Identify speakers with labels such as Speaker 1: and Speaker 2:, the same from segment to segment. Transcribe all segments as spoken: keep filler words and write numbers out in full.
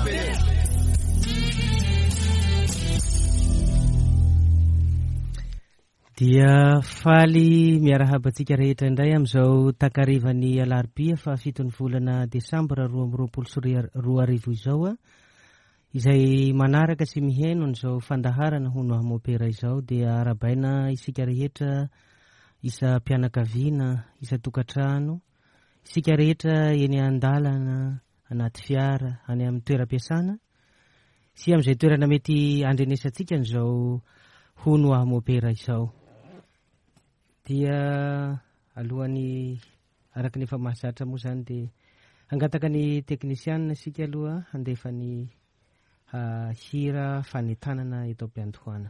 Speaker 1: Mompera.
Speaker 2: Dia faly miarahaba antsika rehetra indray amin'izao takarivan'ny alarobia fahafiton'ny volana desambra roa amby roapolo sy roa arivo izao a, izay manaraka sy mihaino an'izao fandaharana Hono Aho Mompera izao. Dia arahabaina isika rehetra isam-pianakaviana, isan-tokantrano, isika rehetra eny an-dalana, anaty fiara, any amin'ny toeram-piasana sy amin'izay toerana mety andrenesantsika an'izao Hono Aho Mompera izao. Dia alohan'ny araka ny efa mahazatra moa zany dia hangataka ny teknisianina isika aloha handefa ny hira fanentanana eto am-piandohana.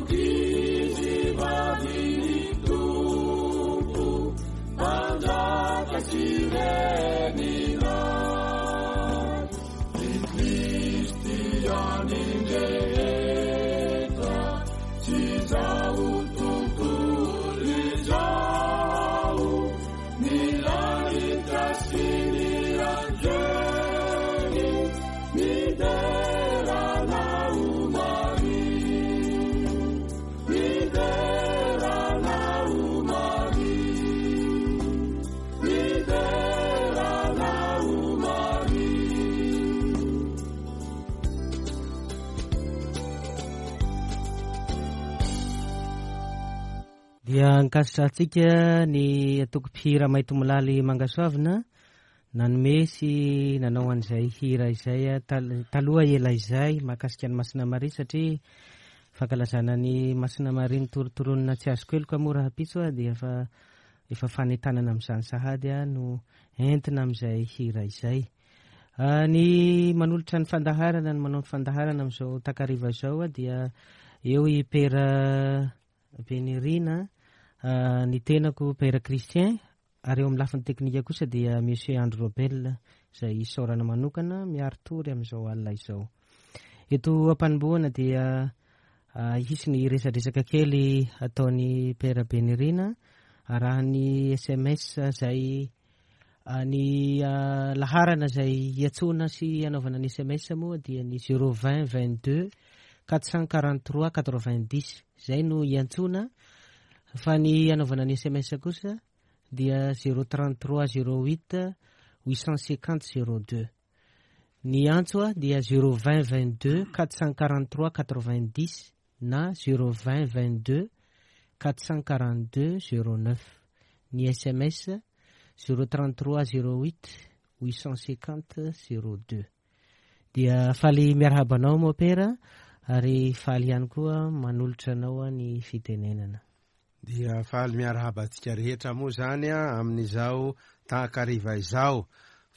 Speaker 1: Ankizivavin'ny Tompo, Mpanjaka sy Reninay, Ry Kristianin-drehetra, sy izao tontolo izao, ny lanitra sy ny anjely, midera anao Maria, midera anao Maria, midera anao Maria.
Speaker 2: Dia ankasitrahantsika ny antoko mpihira Maintimolaly Mangasoavina nanome sy nanao an'izay hira izay a, tal- taloha ela izay mahakasika ny Masina Maria, satria fankalazana ny Masina Maria nitorontoronina tsy azoko heloka moa rahampitso a, dia efa efa fanentanana amin'izany sahady a no entina amin'izay hira izay. Ah, ny manolotra ny fandaharana, ny manao ny fandaharana amin'izao takariva izao a, dia eo i Pera Benirina, ah, ny tenako Pera Christian, ary eo amin'ny lafiny teknika kosa dia Monsieur Andro Robel izay isaorana manokana miaritory amin'izao alina izao. Eto ampanombohana dia ah, hisy ny resadresaka kely ataon'ny Pera Benirina arahan'ny S M S izay, ah, ny, ah, laharana izay iantsoana sy anaovana ny S M S moa dia ny zéro vingt vingt-deux quatre cent quarante-trois quatre-vingt-dix izay no iantsoana, fa ny anaovana ny S M S kosa dia zéro trente-trois zéro huit huit cent cinquante zéro deux. Ny antso a dia zéro vingt vingt-deux quatre cent quarante-trois quatre-vingt-dix na zéro vingt vingt-deux quatre cent quarante-deux zéro neuf. Ny S M S zéro trente-trois zéro huit huit cent cinquante zéro deux. Dia faly miarahaba anao mopera ary faly ihany koa manolotra anao ny fitenenana.
Speaker 3: Dia faly miarahaba antsika rehetra moa zany a amin'izao takariva izao.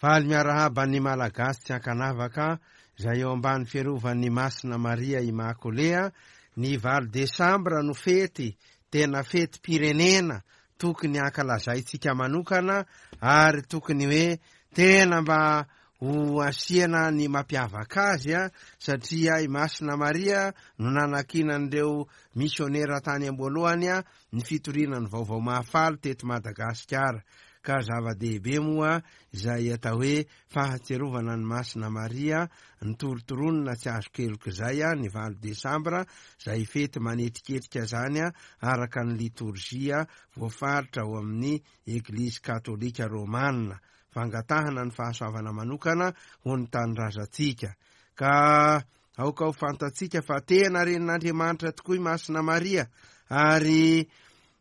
Speaker 3: Faly miarahaba ny Malagasy tsy ankanavaka izay eo ambany fiarovan'ny Masina Maria Imakolea. Ny valo desambra no fety, tena fetim-pirenena tokony hankalazaintsika manokana, ary tokony hoe tena mba ho asiana ny mampiavaka azy a, satria i Masina Maria no nanakinan'ireo misionera tany am-boalohany a ny fitoriana ny vaovao mahafaly teto Madagasikara. Ka zava-dehibe moa izay atao hoe fahatsiarovana ny Masina Maria nitorontoronina tsy azo keloka izay a ny valo desambra, izay fety manetriketrika zany a araka ny litorjia voafaritra ao amin'ny Eglizy Katolika Romana, fangatahana ny fahasoavana manokana ho ny tanindrazantsika. Ka aoka ho fantatsika fa tena renin'Andriamanitra tokoa i Masina Maria, ary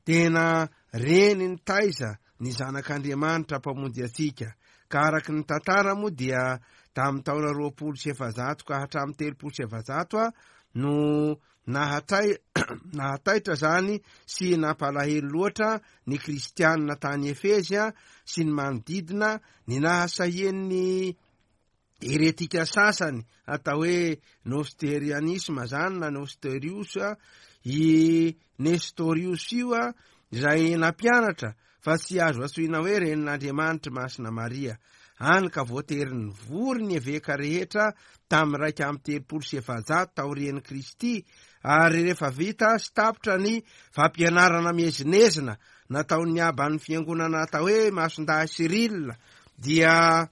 Speaker 3: tena reny ny taiza ny zanak'Andriamanitra mpamonjy antsika. Ka araka ny tantara moa dia tamin'ny taona roapolo sy efajato ka hatramin'ny telopolo sy efajato a no nahatay-, nahataitra zany sy nampalahelo loatra ny kristianina tany Efezy a sy ny manodidina ny nahasahian'ny heretika sasany atao hoe nosterianisma zany na Nosterius a, i Nestorius io a, izay nampianatra fa tsy azo antsoina hoe renin'Andriamanitra Masina Maria. Any ka voatery nivory ny eveka rehetra tamin'ny raika amby telopolo sy efajato taorian'i Kristy, ary rehefa vita sy tapitra ny fampianarana miezinezina nataon'ny aban'ny fiangonana atao hoe Masindahy Cyril, dia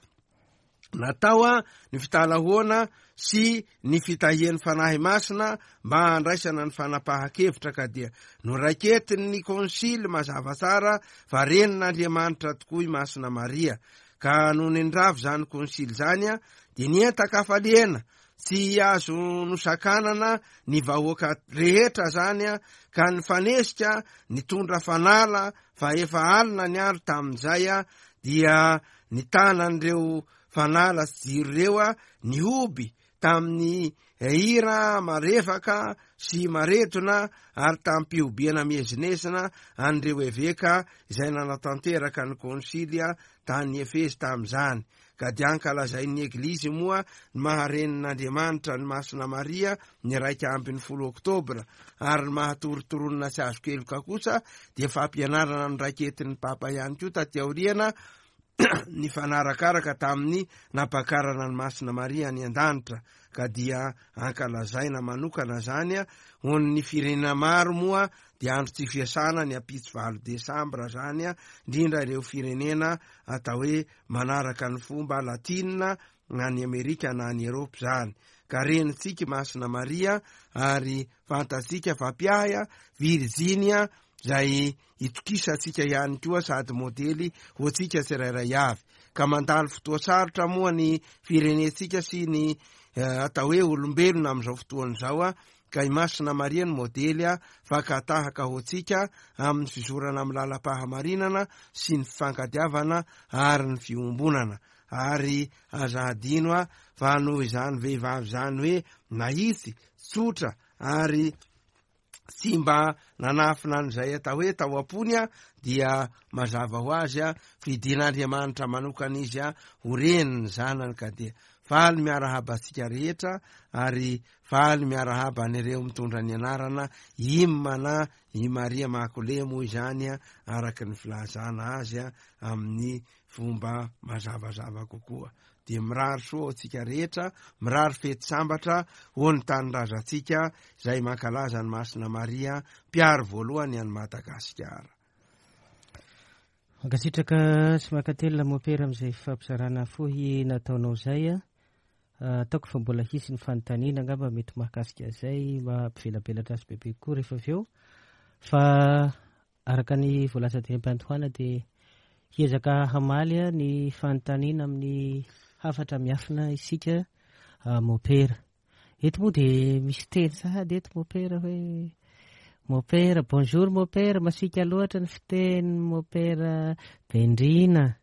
Speaker 3: natao a ny fitalahoana sy ny fitahian'ny Fanahy Masina mba handraisana ny fanapahan-kevitra, ka dia noraiketin'ny konsily mazava tsara fa renin'Andriamanitra tokoa i Masina Maria. Ka nony nirava izany konsily izany a, dia nientan-kafaliana tsy azo nosakanana ny vahoaka rehetra zany a, ka nifanesika nitondra fanala fa efa alina ny andro tamin'izay a, dia nitanan'ireo fanala sy jiro ireo a nihoby tamin'ny hira marefaka sy maretona ary tamin'ny-pihobiana miezinezina an'ireo eveka izay nanatanteraka ny konsilia tany Efezy tamin'izany. Ka dia ankalazain'ny Eglizy moa ny maha-renin'Andriamanitra ny Masina Maria ny iraika ambin'ny folo oktobra, ary ny maha-torontoronina tsy azo keloka kosa dia fampianarana noraiketin'ny Papa ihany koa taty aoriana nifanarakaraka tamin'ny nampakarana ny Masina Maria any an-danitra, ka dia ankalazaina manokana zany. Ho an'ny firenena maro moa dia andro tsy fiasana ny ampitso valo desambra zany, indrindra ireo firenena atao hoe manaraka ny fomba latinina na ny Amerika na ny Eropa zany. Ka renintsika Masina Maria, ary fantatsika fa mpiahy Virginia zay itokisantsika ihany koa sady modely ho antsika tsirairay avy. Ka mandalo fotoa sarotra moa ny firenentsika sy ny atao hoe olombelona amin'izao fotoana izao a, ka i Masina Maria ny modely a fakatahaka ho antsika amin'ny fizorana amin'ny lalam-pahamarinana sy ny fifankatiavana ary ny fiombonana. Ary aza adino a fa noho izany vehivavy zany hoe nahitsy, tsotra ary tsy mba nanafina an'izay atao hoe tao am-pony a, dia mazava ho azy a fidin'Andriamanitra manokana izy a ho reniny zanany. Ka dia faly miarahaba antsika rehetra, ary faly miarahaba an'ireo mitondra ny anarana Imana i Maria Makole moa izany a, araka ny filazana azy a amin'ny fomba mazavazava kokoa. Dia mirary soa antsika rehetra, mirary fety sambatra ho an'ny tanindrazantsika izay mankalaza ny Masina Maria mpiaro voalohany an'i Madagasikara.
Speaker 2: Mankasitraka sy mankatelina mopera amin'izay fampizarana fohy nataonao izay a. Ataoko fa mbola hisy ny fanontaniana angamba mety mahakasika izay mampivelabelatra azy bebe kokoa rehefa avy eo. Fa araka ny voalaza teny am-piandohana dia hiezaka hamaly ny fanontaniana amin'ny hafatra miafina isika mopera. Eto moa dia misy teny sahady eto mopera hoe mopera, bonjour mopera, masiaka loatra ny fiteny mopera Bendrina.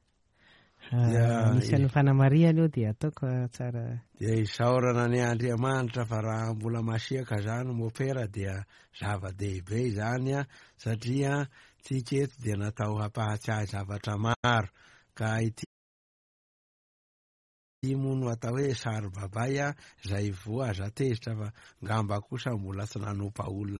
Speaker 2: Anisan'ny fanamarihana io dia ataoko tsara.
Speaker 3: Dia isaorana ny Andriamanitra fa raha mbola masiaka zany mopera dia zava-dehibe izany a, satria tsika eto dia natao hampahatsiahy zavatra maro. Ka ity moa no atao hoe sarobabay a, zay voa aza tezitra fa ngamba kosa mbola tsy nanompa olona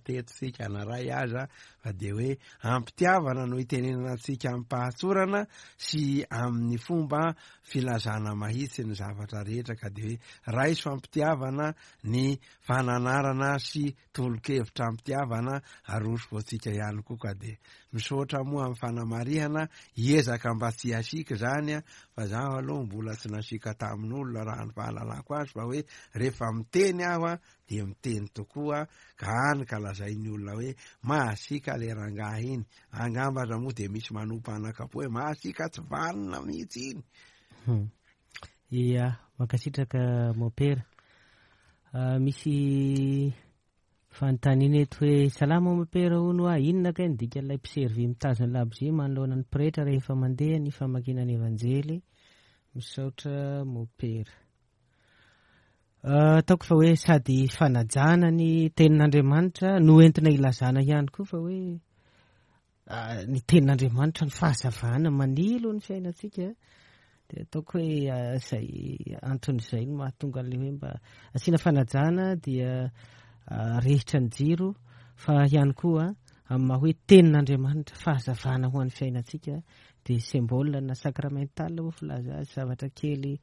Speaker 3: teto tsika na ray aza, fa dia hoe ampitiavana no itenenana antsika amim-pahatsorana sy amin'ny fomba filazana mahitsy ny zavatra rehetra. Ka dia hoe raiso ampitiavana ny fananarana sy tolo-kevitra ampitiavana aroso voantsika ihany koa. Ka dia misaotra moa amin'ny fanamarihana, hiezaka mba tsy hasiaka zany a, fa zaho aloha mbola tsy nasiaka tamin'olona raha ny fahalalako azy, fa hoe rehefa miteny aho a dia miteny tokoa, ka any ka lazain'ny olona hoe mahasiaka le rangahy iny. Angamba aza moa dia misy manompa anakapo hoe mahasiaka tsy vanona mihitsy iny.
Speaker 2: Ia, mankasitraka mopera. Misy fanontaniana eto hoe salama mopera hono a, inona kay ny dikan'ilay mpiservy mitazona labozia manoloana ny pretra rehefa mandeha ny famakiana ny evanjely? Misaotra mopera. Ataoko fa hoe sady fanajana ny tenin'Andriamanitra no entina ilazana ihany koa fa hoe ny tenin'Andriamanitra ny fahazavana manilo ny fiainantsika. Dia ataoko hoe izay anton'izay no mahatonga an'ilay hoe mba asiana fanajana dia rehitra ny jiro, fa ihany koa amin'ny maha hoe tenin'Andriamanitra fahazavana ho an'ny fiainantsika dia symbole na sacramental ho filaza azy, zavatra kely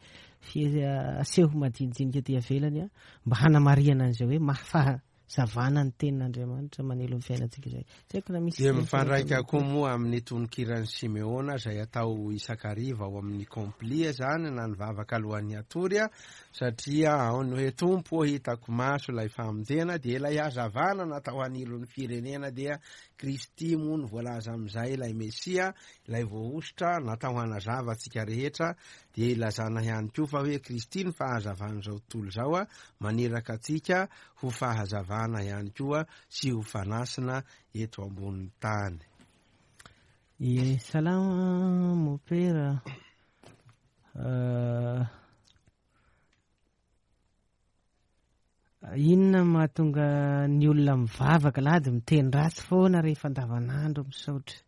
Speaker 2: aseho madinidinika aty ivelany mba hanamarihana an'izay hoe mahafahazavana ny tenin'Andriamanitra manelo ny fiainantsika izay. Tsy haiko na misy
Speaker 3: dia mifandraika koa moa amin'ny tononkiran'i Simeona izay atao isan-kariva ao amin'ny complia zany na ny vavaka alohan'ny hatory, satria ao ny hoe Tompo hitako maso ilay famonjena, dia ilay hazavana natao hanilo ny firenena dia Kristy moa no voalaza amin'izay, ilay Mesia, ilay voahosotra natao hanazava antsika rehetra. Dia ilazana ihany koa fa hoe Kristy ny fahazavan'izao tontolo izao a, maniraka antsika ho fahazavana ihany koa sy ho fanasina eto ambonin'ny tany.
Speaker 2: Ie, salama mopera. Inona mahatonga ny olona mivavaka lady miteny ratsy foana rehefa andavanandro? Misaotra.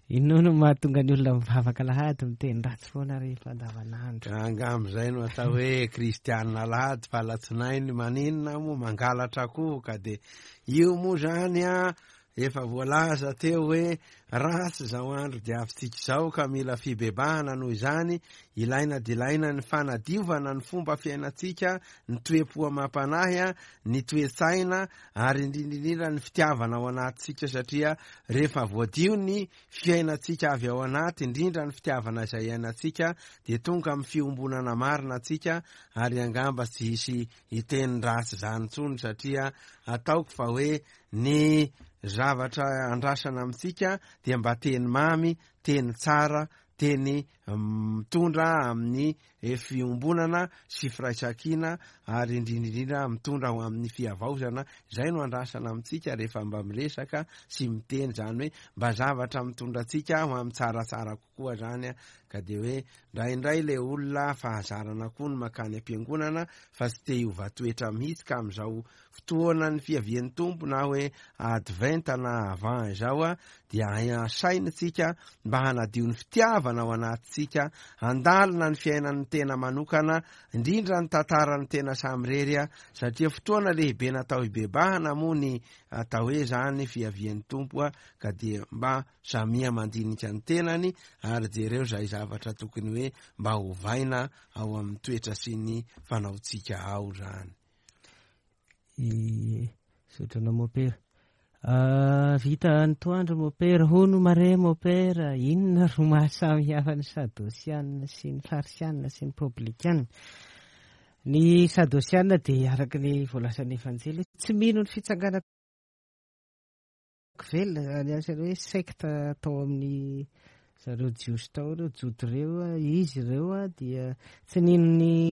Speaker 2: Inona no mahatonga ny olona mivavaka alahady miteny ratsy foana rehefa andavanandro?
Speaker 3: Angamba izay no atao hoe kristianina alahady fa alatsinainy maninona moa mangalatra akoho ka dia io moa zany a efa voalaza teo hoe ratsy izao andro diavintsika izao ka mila fibebahana. Noho izany ilaina dia ilaina ny fanadiovana ny fomba fiainantsika, ny toe-po amam-panahy a, ny toe-tsaina ary indrindra indrindra ny fitiavana ao anatintsika, satria rehefa voadio ny fiainantsika avy ao anaty, indrindra ny fitiavana izay iainantsika, dia tonga amin'ny fiombonana marina antsika ary angamba tsy hisy hiteny ratsy izany intsony, satria ataoko fa hoe ny zavatra andrasana amintsika dia mba teny mamy, teny tsara, teny mitondra amin'ny fiombonana sy firaisankina ary indrindra indrindra mitondra ho amin'ny fihavaozana. Izay no andrasana amintsika rehefa mba miresaka sy miteny, zany hoe mba zavatra mitondra antsika ho amin'ny tsaratsara kokoa zany a. Ka dia hoe indraindray le olona fahazarana koa ny makany am-piangonana fa tsy te hiova toetra mihitsy, ka amin'izao fotoana ny fiavian'ny Tompo na hoe adventa na avant izao a dia asaintsika mba hanadio ny fitiavana ao anatintsika, handalina ny fiainan'ny tena manokana, indrindra ny tantaran'ny tena samirery a, satria fotoana lehibe natao hibebahana moa ny atao hoe zany fiavian'ny Tompo a, ka dia mba samia mandinika ny tenany ary jereo zay zavatra tokony hoe mba hovaina ao amin'ny toetra sy ny fanaontsika ao zany.
Speaker 2: Misaotra anao mopera. Vita antoandro mopera, hono mare mopera, inona ro mahasamihafa ny sadosianina sy ny farisianina sy ny publikana? Ny sadosianina dia araka ny voalazan'ny Evanjely tsy mino ny fitsanganana velona, ny anisan'ny hoe sekta tao amin'ny zareo jiosy tao ireo, jody ireo, izy ireo dia tsy nino ny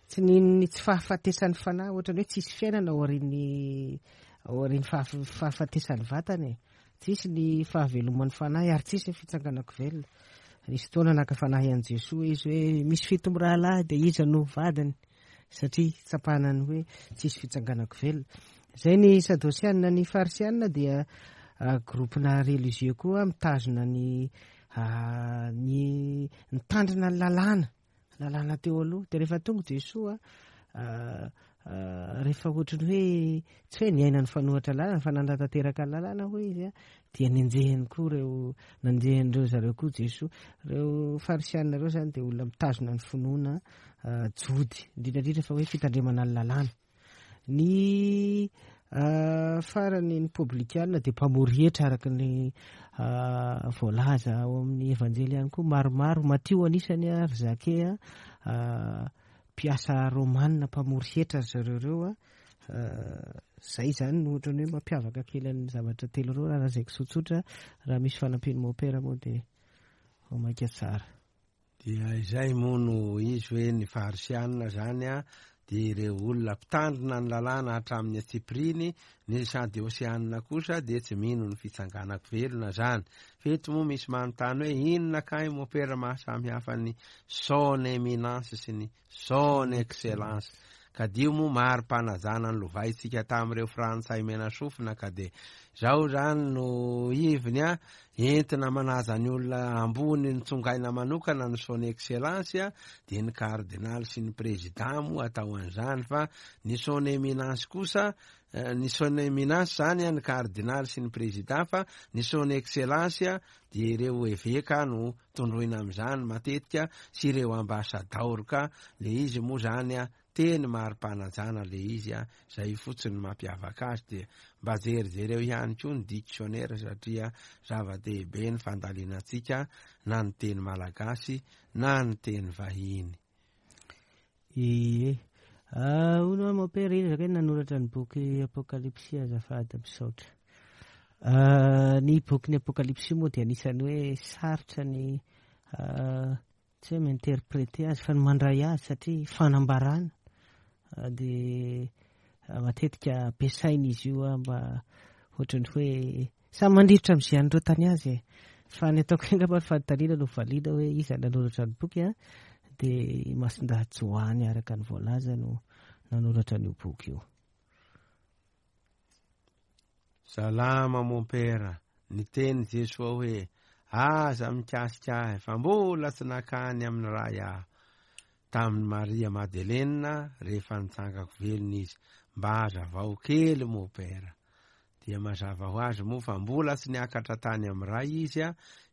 Speaker 2: tsy nino ny tsy fahafatesan'ny fanahy, ohatrany hoe tsisy fiainana aorian'ny aorian'ny fahafatesan'ny vatana e, tsisy ny fahaveloman'ny fanahy ary tsisy ny fitsanganako velona. Nisy fotoana naka fanahy an'i Jesoa izy hoe misy fito mirahalahy dia iza no vadiny, satria tsapanany hoe tsisy fitsanganako velona. Zay ny sadosianina. Ny farisianina dia groupe-na religieux koa mitazona ny ny mitandrina ny lalàna, lalàna teo aloha. Dia rehefa tonga Jesoa, rehefa ohatrany hoe tsy hoe niaina ny fanohatra lalàna fa nanatanteraka ny lalàna hoy izy a, dia nenjehiny koa ireo, nanjehan'ireo zareo koa Jesoa. Ireo farisianina ireo zany dia olona mitazona ny finoana jody, indrindra indrindra fa hoe fitandremana ny lalàna. Ny farany ny publikana dia mpamory hetra araka ny voalaza ao amin'ny Evanjely ihany koa, maromaro. Matio anisany a, ry Zake a, mpiasa romanina mpamory hetra ry zareo ireo a. Zay zany no ohatrany hoe mampiavaka kely ny zavatra telo ireo raha lazaiko tsotsotra. Raha misy fanampian'ny mopera moa dia vao mainka tsara.
Speaker 3: Dia izay moa no izy hoe ny farisianina zany a dia ireo olona mpitandrina ny lalàna hatramin'ny antsipiriany, ny sadeosianina kosa dia tsy mino ny fitsanganako velona zany. Feto moa misy manontany hoe inona kay mopera mahasamihafa ny son éminence sy ny son excellence? Ka dio moa mari-panajana ny lovaintsika tamin'ireo frantsay mena sofina, ka dia zao zany no iviny a, entina manaja ny olona ambony nitsongaina manokana ny son excellence a, dia ny cardinal sy ny président moa atao an'izany, fa ny son éminence kosa, ny son éminence zany a ny cardinal sy ny président, fa ny son excellence a dia ireo eveka no tondroina amin'izany matetika sy ireo ambasadaoro, ka le izy moa zany a teny mari-panajana le izy a, zay fotsiny mampiavaka azy. Dia mba jerijereo ihany koa ny dictionnaire, satria zava-dehibe ny fandalinantsika na ny teny malagasy na ny teny vahiny.
Speaker 2: Ie, hono mopera, izy zaka nanoratra ny boky Apokalypsy, azafady misaotra. Ny boky ny Apokalypsy moa dia anisan'ny hoe sarotra ny tsy hoe mi-interpréter azy fa ny mandray azy, satria fanambarana dia matetika ampiasaina izy io a mba ohatrany hoe samy mandrivotra amin'izay an'ireo tany azy e. Fa ny ataoko angamba ny fanontaniana no valiana hoe iza nanoratra ny boky a, dia Masindahy Joany araka ny voalaza no nanoratra an'io boky io.
Speaker 3: Salama mompera, niteny Jesoa hoe aza mikasika ahy fa mbola tsy nakany amin'ny Ray aho. Tamin'i Maria Madelena rehefa nitsangako velona izy, mba hazavao kely mompera. Dia mazava ho azy moa fa mbola tsy niakatra tany amin'ny Ray izy a,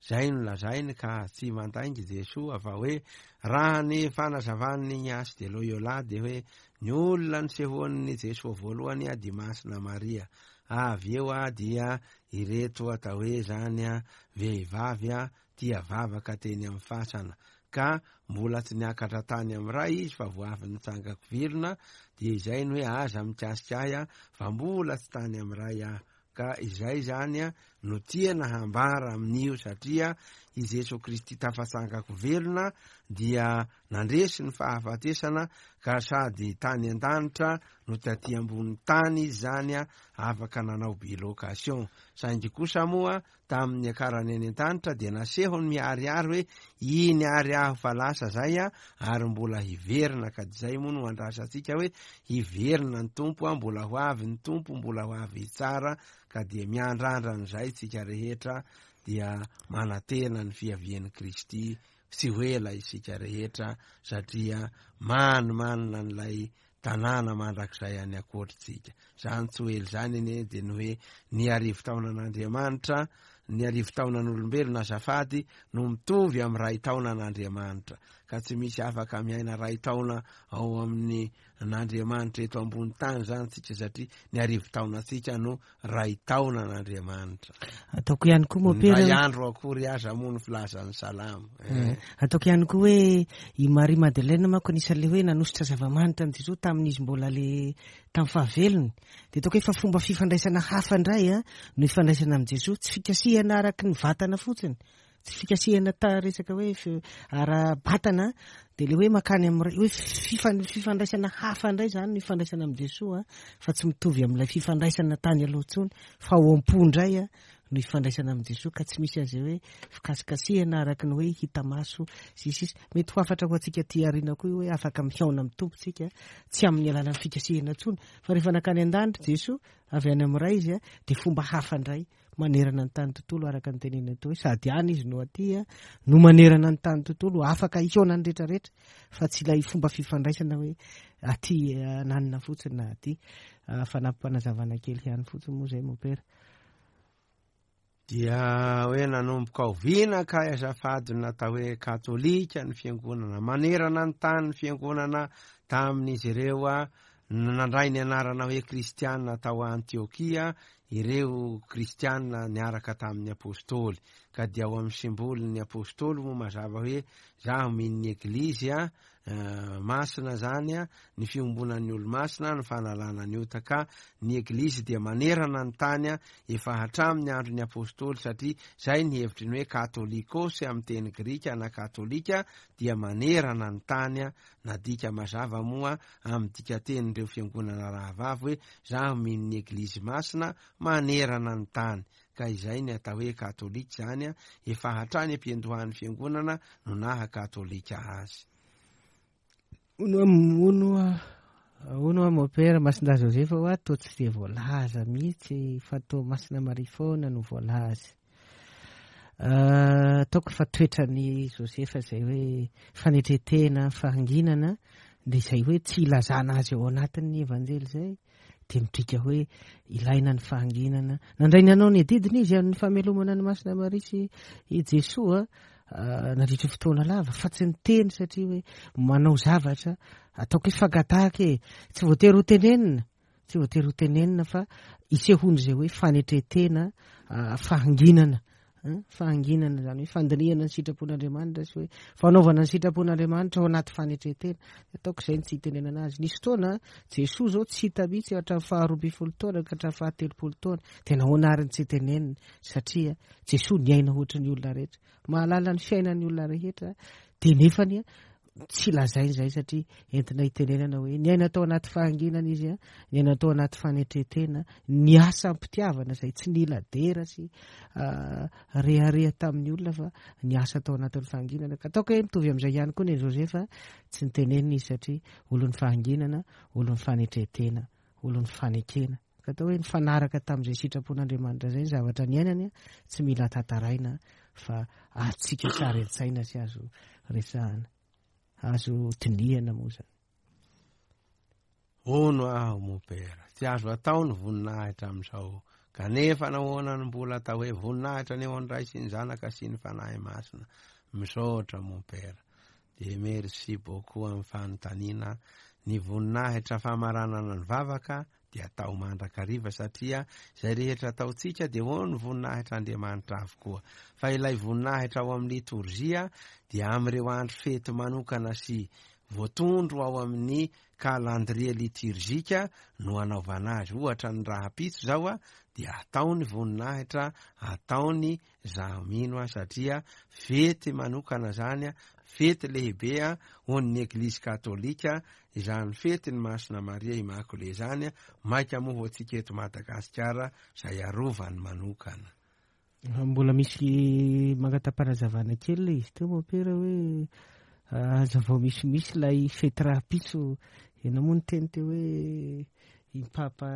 Speaker 3: zay no lazainy ka tsy mandaingy Jesoa fa hoe raha ny fanazavan'ny Ignace de Loyola dia hoe ny olona nisehoan'ny Jesoa voalohany a dia Masina Maria, avy eo a dia ireto atao hoe zany a vehivavy a tia vavaka teny amin'ny fasana, ka mbola tsy niakatra tany amin'ny Ray izy fa vao avy nitsangako velona, dia izay no hoe aza mikasika ahy a fa mbola tsy tany amin'ny Ray aho. Ka izay zany a no tiana hambara amin'io, satria i Jesoa Kristy tafatsangako velona dia nandresy ny fahafatesana, ka sady tany an-danitra no taty ambony tany izy zany a afaka nanao bilocation. Saingy kosa moa tamin'ny niakarany any an-danitra dia nasehony miharihary hoe iny ary aho fa lasa zay a ary mbola hiverina, ka izay moa no andrasantsika hoe hiverina ny Tompo a, mbola ho avy ny Tompo, mbola ho avy hitsara, ka dia miandrandra an'izay tsika rehetra, dia manantena ny fiavian'i Kristy tsy ho ela isika rehetra, satria manimanina an'ilay tanàna mandrakizay any ankoatritsika. Zany tsy ho ela zany anie dia ny hoe ny arivo taonan'Andriamanitra, ny arivo taonan'olombelona azafady no mitovy amin'ny ray taonan'Andriamanitra, ka tsy misy afaka miaina ray taona ao amin'ny n'Andriamanitra eto ambony tany zany tsika, satria ny arivo taonantsika no ray taonan'Andriamanitra.
Speaker 2: Ataoko ihany koa mompera,
Speaker 3: ray andro akory aza moa ny filazan'ny salamo.
Speaker 2: Eh, ataoko ihany koa hoe i Marie Madeleine manko anisan'le hoe nanositra zava-manitra an'i Jesoa tamin'izy mbola le tamin'ny fahavelony, dia ataoko hoe fa fomba fifandraisana hafa indray a no ifandraisana amin'i Jesoa, tsy fikasihana araky ny vatana fotsiny, tsy fikasihana ta resaka hoe ara-batana, dia le hoe makany amin'ny hoe fifan- fifandraisana hafa indray zany no ifandraisana amin'i Jesoa, fa tsy mitovy amin'ilay fifandraisana tany aloha intsony, fa ao am-po indray a no ifandraisana amin'i Jesoa, ka tsy misy an'izay hoe fikasikasihana araky ny hoe hita maso sy sisa. Mety ho hafatra ho antsika aty aoriana koa hoe afaka mihaona amin'ny Tompo tsika, tsy amin'ny alalan'ny fikasihana intsony, fa rehefa nakany an-danitra Jesoa avy any amin'ny Ray izy a, dia fomba hafa indray manerana ny tany tontolo, araka ny tenenina teo hoe sady any izy no aty a no manerana ny tany tontolo, afaka hihaona ny rehetrarehetra, fa tsy ilay fomba fifandraisana hoe aty ananina fotsiny na aty. Fanampim-panazavana kely ihany fotsiny moa zay mompera.
Speaker 3: Dia hoe nanomboka oviana ka azafady natao hoe katolika ny fiangonana manerana ny tany, ny fiangonana tamin'izy ireo a nandray ny anarana hoe kristianina tao Antiokia ireo kristianina niaraka tamin'ny apôstôly, ka dia ao amin'ny simbolin'ny apôstôly moa mazava hoe zaho mino ny eglizy a masina zany a, ny fiombonan'ny olo-masina, ny fanalana ny ota, ka ny eglizy dia manerana ny tany a efa hatramin'ny andron'ny apôstôly, satria zay ny hevitry ny hoe katolikos amin'ny teny grika na katolika dia manerana ny tany a, nadika mazava moa amin'ny dikatenin'ireo fiangonana rahavavy hoe zaho mino ny eglizy masina manerana ny tany, ka izay ny atao hoe katolika zany a efa hatrany am-piandohan'ny fiangonana no naha katolika azy.
Speaker 2: Ono ono ono mompera Masindahy Josefa hoa toa tsy dia voalaza mihitsy fa toa Masina Maria foana no voalaza. Ataoko fa toetrany Josefa izay hoe fanetretena, fahanginana, dia izay hoe tsy ilazana azy ao anatin'ny evanjely izay, dia midika hoe ilaina ny fahanginana. Nandray ny anao ny adidiny izy amin'ny famelomana ny Masina Maria sy i Jesoa nandritra fotoana lava, fa tsy niteny satria hoe manao zavatra ataoko hoe fangatahaka e, tsy voatery ho tenenina, tsy voatery ho tenenina fa isehoany izay hoe fanetretena, fahanginana, fahanginana zany hoe fandinihana ny sitrapon'Andriamanitra sy hoe fanaovana ny sitrapon'Andriamanitra ao anaty fanetretena. Ataoko izay ny tsy hitenenana azy. Nisy fotoana Jesoa zao tsy hita mihitsy hatramin'ny faharoa ambin'ny folo taona ka hatramin'ny fahatelopolo taona, dia nahoana ary ny tsy hitenenina? Satria Jesoa niaina ohatry ny olona rehetra, mahalala ny fiainan'ny olona rehetra, dia nefany a tsy lazainy izay satria entina hitenenana hoe niaina tao anaty fahanginana izy a, niaina tao anaty fanetretena, niasa am-pitiavana izay tsy nila dera sy rehareha tamin'ny olona fa niasa tao anatin'ny fahanginana. Ka ataoko hoe mitovy amin'izay ihany koa ny Josefa, tsy nitenenina izy satria olon'ny fahanginana, olon'ny fanetretena, olon'ny fanekena. Ka atao hoe nifanaraka tamin'izay sitrapon'Andriamanitra izay ny zavatra niainany, tsy mila tantaraina fa azontsika sary an-tsaina sy azo resahana, azo dinihana moa izany.
Speaker 3: Hono aho mopera, tsy azo atao ny voninahitra amin'izao, kanefa nahoana no mbola atao hoe voninahitra ny eo an'ny Ray sy ny Zanaka sy ny Fanahy Masina? Misaotra mopera. De merci beaucoup amin'ny fanontaniana. Ny voninahitra famaranana ny vavaka dia atao mandrakariva, satria izay rehetra ataontsika dia ho ny voninahitra Andriamanitra avokoa. Fa ilay voninahitra ao amin'ny litorjia dia amin'ireo andro fety manokana sy voatondro ao amin'ny calendrier liturgique no anaovana azy. Ohatra ny rahampitso zao a dia atao ny voninahitra, ataony zaho mino a, satria fety manokana zany a, fety lehibe a ho an'ny Eglizy katolika izany fety ny Masina Maria Immaculée zany a, maika moa ho antsika eto Madagasikara izay arovany manokana.
Speaker 2: Mbola misy mangata-panazavana kely ilay izy teo mopera hoe azavao misimisy ilay fety rahampitso. Ianao moa niteny teo hoe i Papa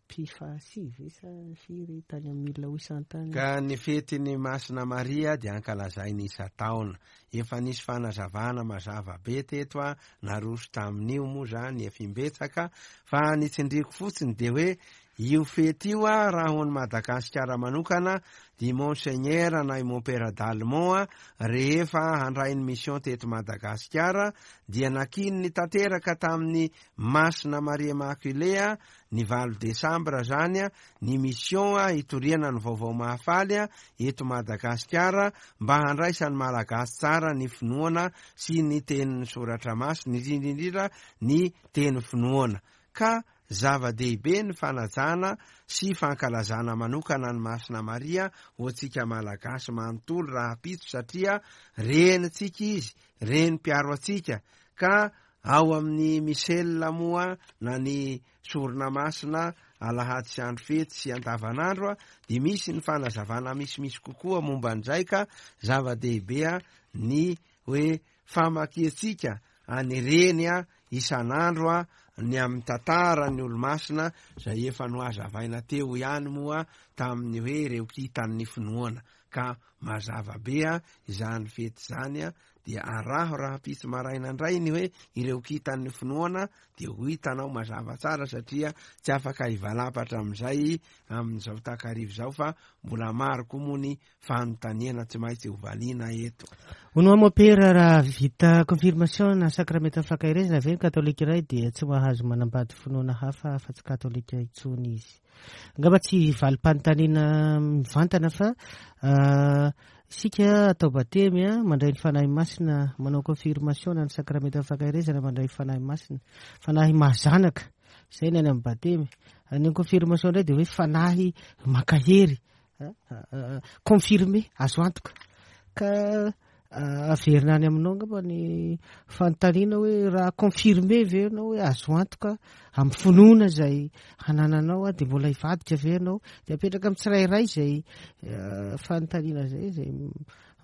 Speaker 2: Pie fahasivy sa firy tany amin'ny mille huit cent tany.
Speaker 3: Ka ny fetin'ny Masina Maria dia ankalazainy isan-taona. Efa nisy fanazavana mazava be teto a, naroso tamin'io moa zany efa imbetsaka, fa ny tsindriko fotsiny dia hoe io fety io a, raha ho an'i Madagasikara manokana, di Monseigneur na i Mompera Dalmont a, rehefa handray ny mission teto Madagasikara dia nakininy tanteraka tamin'ny Masina Maria Immaculée a, ny valo desambra zany a, ny mission a hitoriana ny vaovao mahafaly a eto Madagasikara mba handraisan'ny Malagasy tsara ny finoana sy ny tenin'ny soratra masina, indrindra indrindra ny teny finoana. Ka zava-dehibe ny fanajana sy fankalazana manokana ny Masina Maria ho antsika Malagasy manontolo rahampitso, satria renitsika izy, reny mpiaro antsika. Ka ao amin'ny Michel moa na ny sorona masina alahady sy andro fety sy andavanandro a, dia misy ny fanazavana misimisy kokoa momba an'izay. Ka zava-dehibe a ny hoe famakiantsika any reny a isan'andro a ny amin'ny tantara ny olo-masina izay efa nohazavaina teo ihany moa tamin'ny hoe ireo kitan'ny finoana. Ka mazava be a izany fety izany a, dia araho rahampitso maraina indray ny hoe ireo kitan'ny finoana, dia ho hitanao mazava tsara, satria tsy afaka hivalapatra amin'izay amin'izao takarivo izao, fa mbola maro koa moa ny fanontaniana tsy maintsy hovaliana eto.
Speaker 2: Hono mopera, raha vita confirmation na sakramenta fankaherezana ve ny katolika iray dia tsy mahazo manambady finoana hafa fa tsy katolika intsony izy? Angamba tsy valim-panontaniana mivantana, fa isika atao batemy a, mandray ny Fanahy Masina, manao confirmation na ny sakramenta fankaherezana, mandray ny Fanahy Masina, fanahy mahazanaka izay ny any amin'ny batemy. Ny confirmation indray dia hoe fanahy mankahery, confirmé, azo antoka. Ka averina any aminao angamba ny fanontaniana hoe raha confirmé ve ianao hoe azo antoka amin'ny finoana izay hanananao a, dia mbola hivadika ve ianao? Dia apetraka amin'ny tsirairay izay fanontaniana izay, izay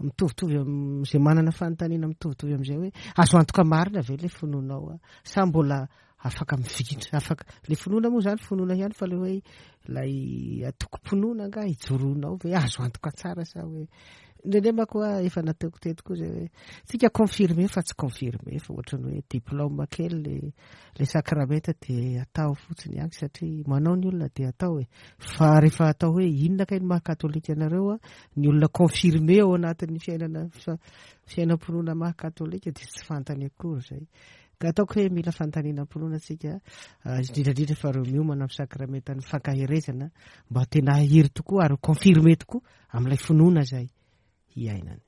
Speaker 2: mitovitovy amin'izay manana fanontaniana mitovitovy amin'izay hoe azo antoka marina ve ilay finoanao a, sa mbola afaka mifikitra, afaka le finoana moa zany finoana ihany, fa le hoe ilay atokom-pinoana nga hijoronao ve azo antoka tsara, sa hoe indraindray manko a efa nataoko teto koa zay hoe tsika confirmé fa tsy confirmé, fa ohatrany hoe diplôme kely le le sakramenta dia atao fotsiny ihany satria manao ny olona dia atao e. Fa rehefa atao hoe inona kay ny maha katolika anareo a, ny olona confirmé ao anatin'ny fiainana fiainam-pinoana maha katolika dia tsy fantany akory zay. Ka ataoko hoe mila fanontaniana am-pinoana tsika, indrindrandrindra fa reo miomana amin'ny sakramentan'ny fankaherezana, mba tena hahery tokoa ary confirmé tokoa amin'ilay finoana zay hiainany.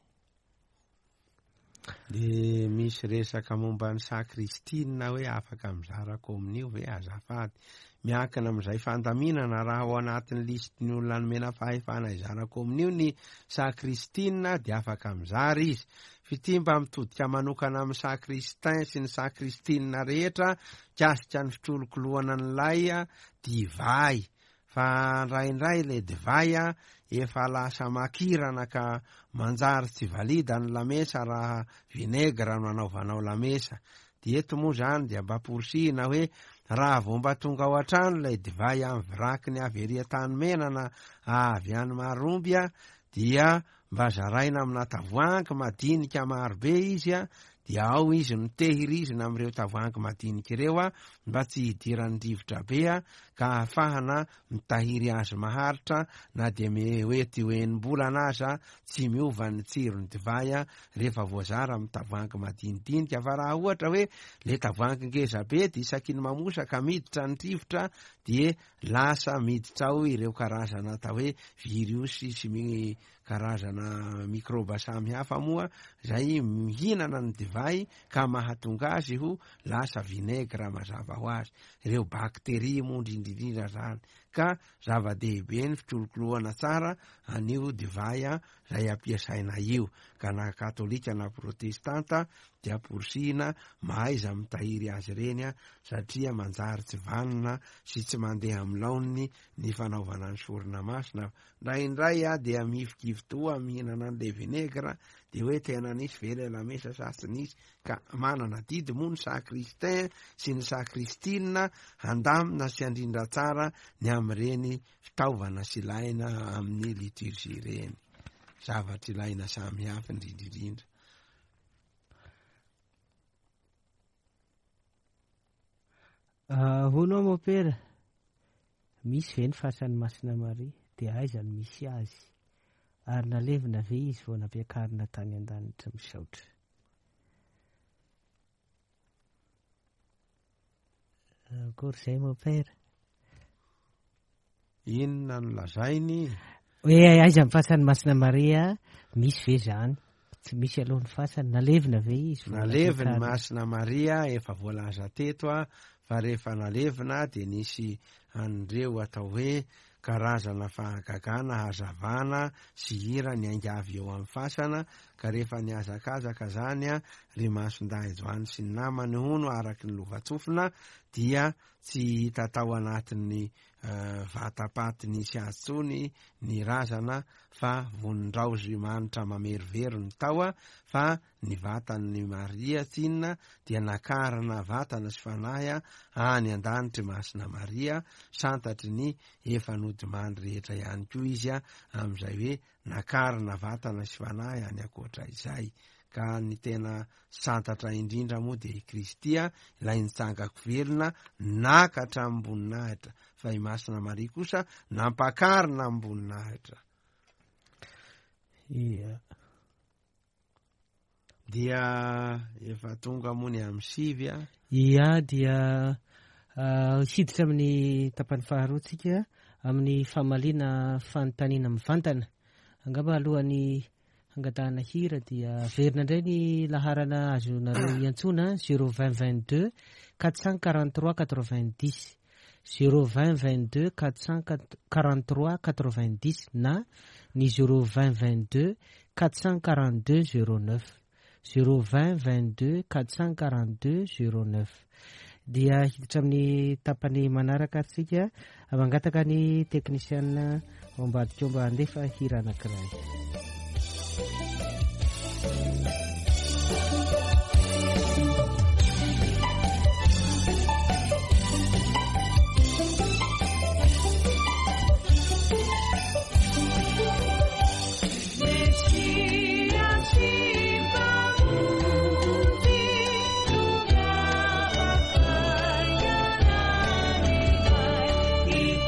Speaker 3: De misy resaka momba ny sakristina hoe afaka mizara kominio ve azafady? Miankina amin'izay fandaminana. Raha ao anatin'ny listin'ny olona nomena fahefana hizara kominio ny sakristina dia afaka mizara izy. F'ity mba mitodika manokana amin'ny sakristin sy ny sakristina rehetra mikasika ny fitrolokoloana an'ilay divay. Fa indraindray ilay divay a efa lasa makirana ka manjary tsy valida ny lamesa raha vinaigre no anaovanao lamesa. Dia eto moa zany dia mba porisihina hoe raha vao mba tonga ao an-trano ilay divay amin'ny virakiny avy ery Antanimena na avy any Maromby a, dia mba zaraina amina tavoahangy madinika marobe izy a, dia ao izy mitehirizina amin'ireo tavoahangy madinika ireo a, mba tsy hidiran'ny rivotra be a, ka ahafahana mitahiry azy maharitra na dia mety ho enim-bolana aza tsy miova ny tsiron'ny divay a, rehefa voazara amin'ny tavoahangy madinidinika. Fa raha ohatra hoe le tavoahangy ngeza be dia isaky ny mamosaka miditra ny rivotra dia lasa miditra ao ireo karazana atao hoe viriosy sy mi karazana mikroba samihafa moa zay mihinana ny divay ka mahatonga azy ho lasa vinaigre mazava ho azy, ireo bakteria moa indrindrindrindra zany. Ka zava-dehibe ny fikolokoloana tsara an'io divay a zay ampiasaina io, ka na katolika na protestanta dia amporisihina mahaiza mitahiry azy ireny a, satria manjary tsy vanona sy tsy mandeha amin'ny laoniny ny fanaovana ny sorona masina. Indraindray a dia mihifikifi-toa mihinana an'ilay vinaigre dia hoe tena nisy ve ilay lamesa sa tsy nisy. Ka manana didy moa ny sakristin sy ny sakristina handamina sy handrindra tsara ny amin'ireny fitaovana sy ilaina amin'ny liturgie ireny, zavatra ilaina samihafa indrindrindrindra.
Speaker 2: Hono mopera, misy ve ny fasan'ny Masina Maria dia aiza no misy azy? Ary nalevina ve izy vao nampiakarina tany an-danitra? Misaotra. Akory izay mopera?
Speaker 3: Inona no lazainy?
Speaker 2: Hoe aiza ny fasan'ny Masina Maria, misy ve zany? Tsy misy aloha ny fasany, nalevina ve izy?
Speaker 3: Nalevina Masina Maria, efa voalaza teto a, fa rehefa nalevina dia nisy an'ireo atao hoe karazana fahagagana hazavana sy hira niainga avy eo amin'ny fasana. Ka rehefa nihazakazaka zany a, ry Masindahy Joany sy ny namany hono araky ny lovantsofina dia tsy hita tao anatin'ny vatapaty nisy azy tsony ny razana, fa vonindraozy manitra mamerovero ny tao a, fa ny vatan'ny Maria tsinona dia nakarina vatana sy fanahy a any an-danitry Masina Maria, santatry ny efa nodimandry rehetra ihany koa izy a, amin'izay hoe nakarina vatana sy fanahy any ankoatra izay. Ka ny tena santatra indrindra moa dia i Kristy a, ilay nitsangako velona naka hatramin'ny-boninahitra, fa i Masina Maria kosa nampakarina am-boninahitra.
Speaker 2: Ia.
Speaker 3: Dia efa tonga moa ny amin'ny sivy a.
Speaker 2: Ia, dia hiditra amin'ny tapany faharoa tsika amin'ny famaliana fanontaniana mivantana. Angamba alohan'ny hangatahana hira dia averina indray ny laharana azonareo iantsoana zéro vingt vingt-deux quatre cent quarante-trois quatre-vingt-dix, zéro vingt vingt-deux quatre cent quarante-trois quatre-vingt-dix na ny zéro vingt vingt-deux quatre cent quarante-deux zéro neuf, zéro vingt vingt-deux quatre cent quarante-deux zéro neuf. Dia hiditra amin'ny tapany manaraka atsika, mangataka ny teknisiana ao ambadika ao mba handefa hira anankiray.
Speaker 1: Itu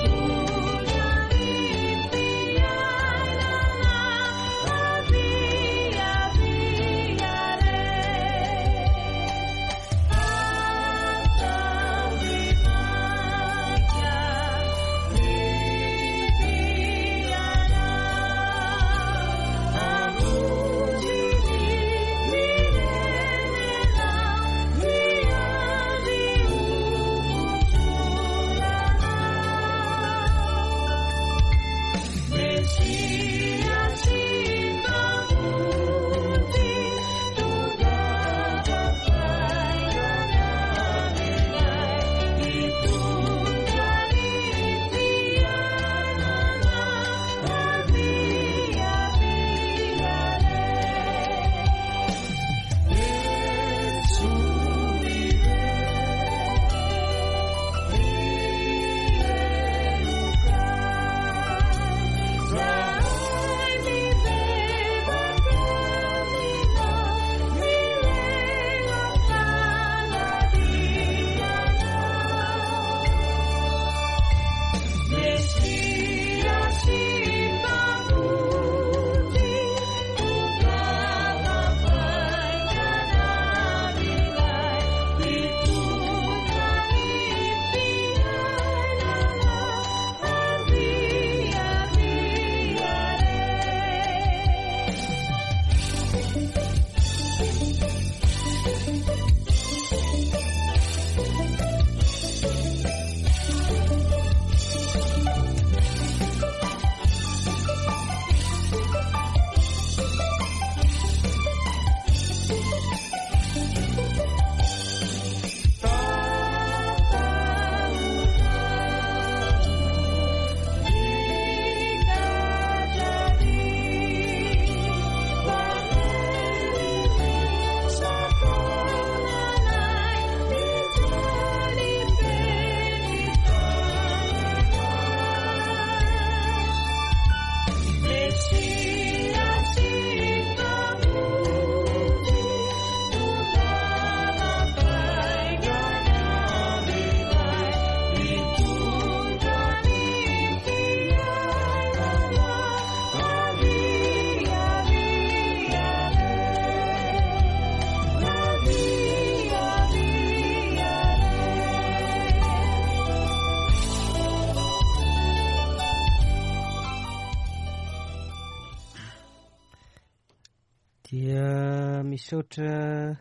Speaker 2: Misaotra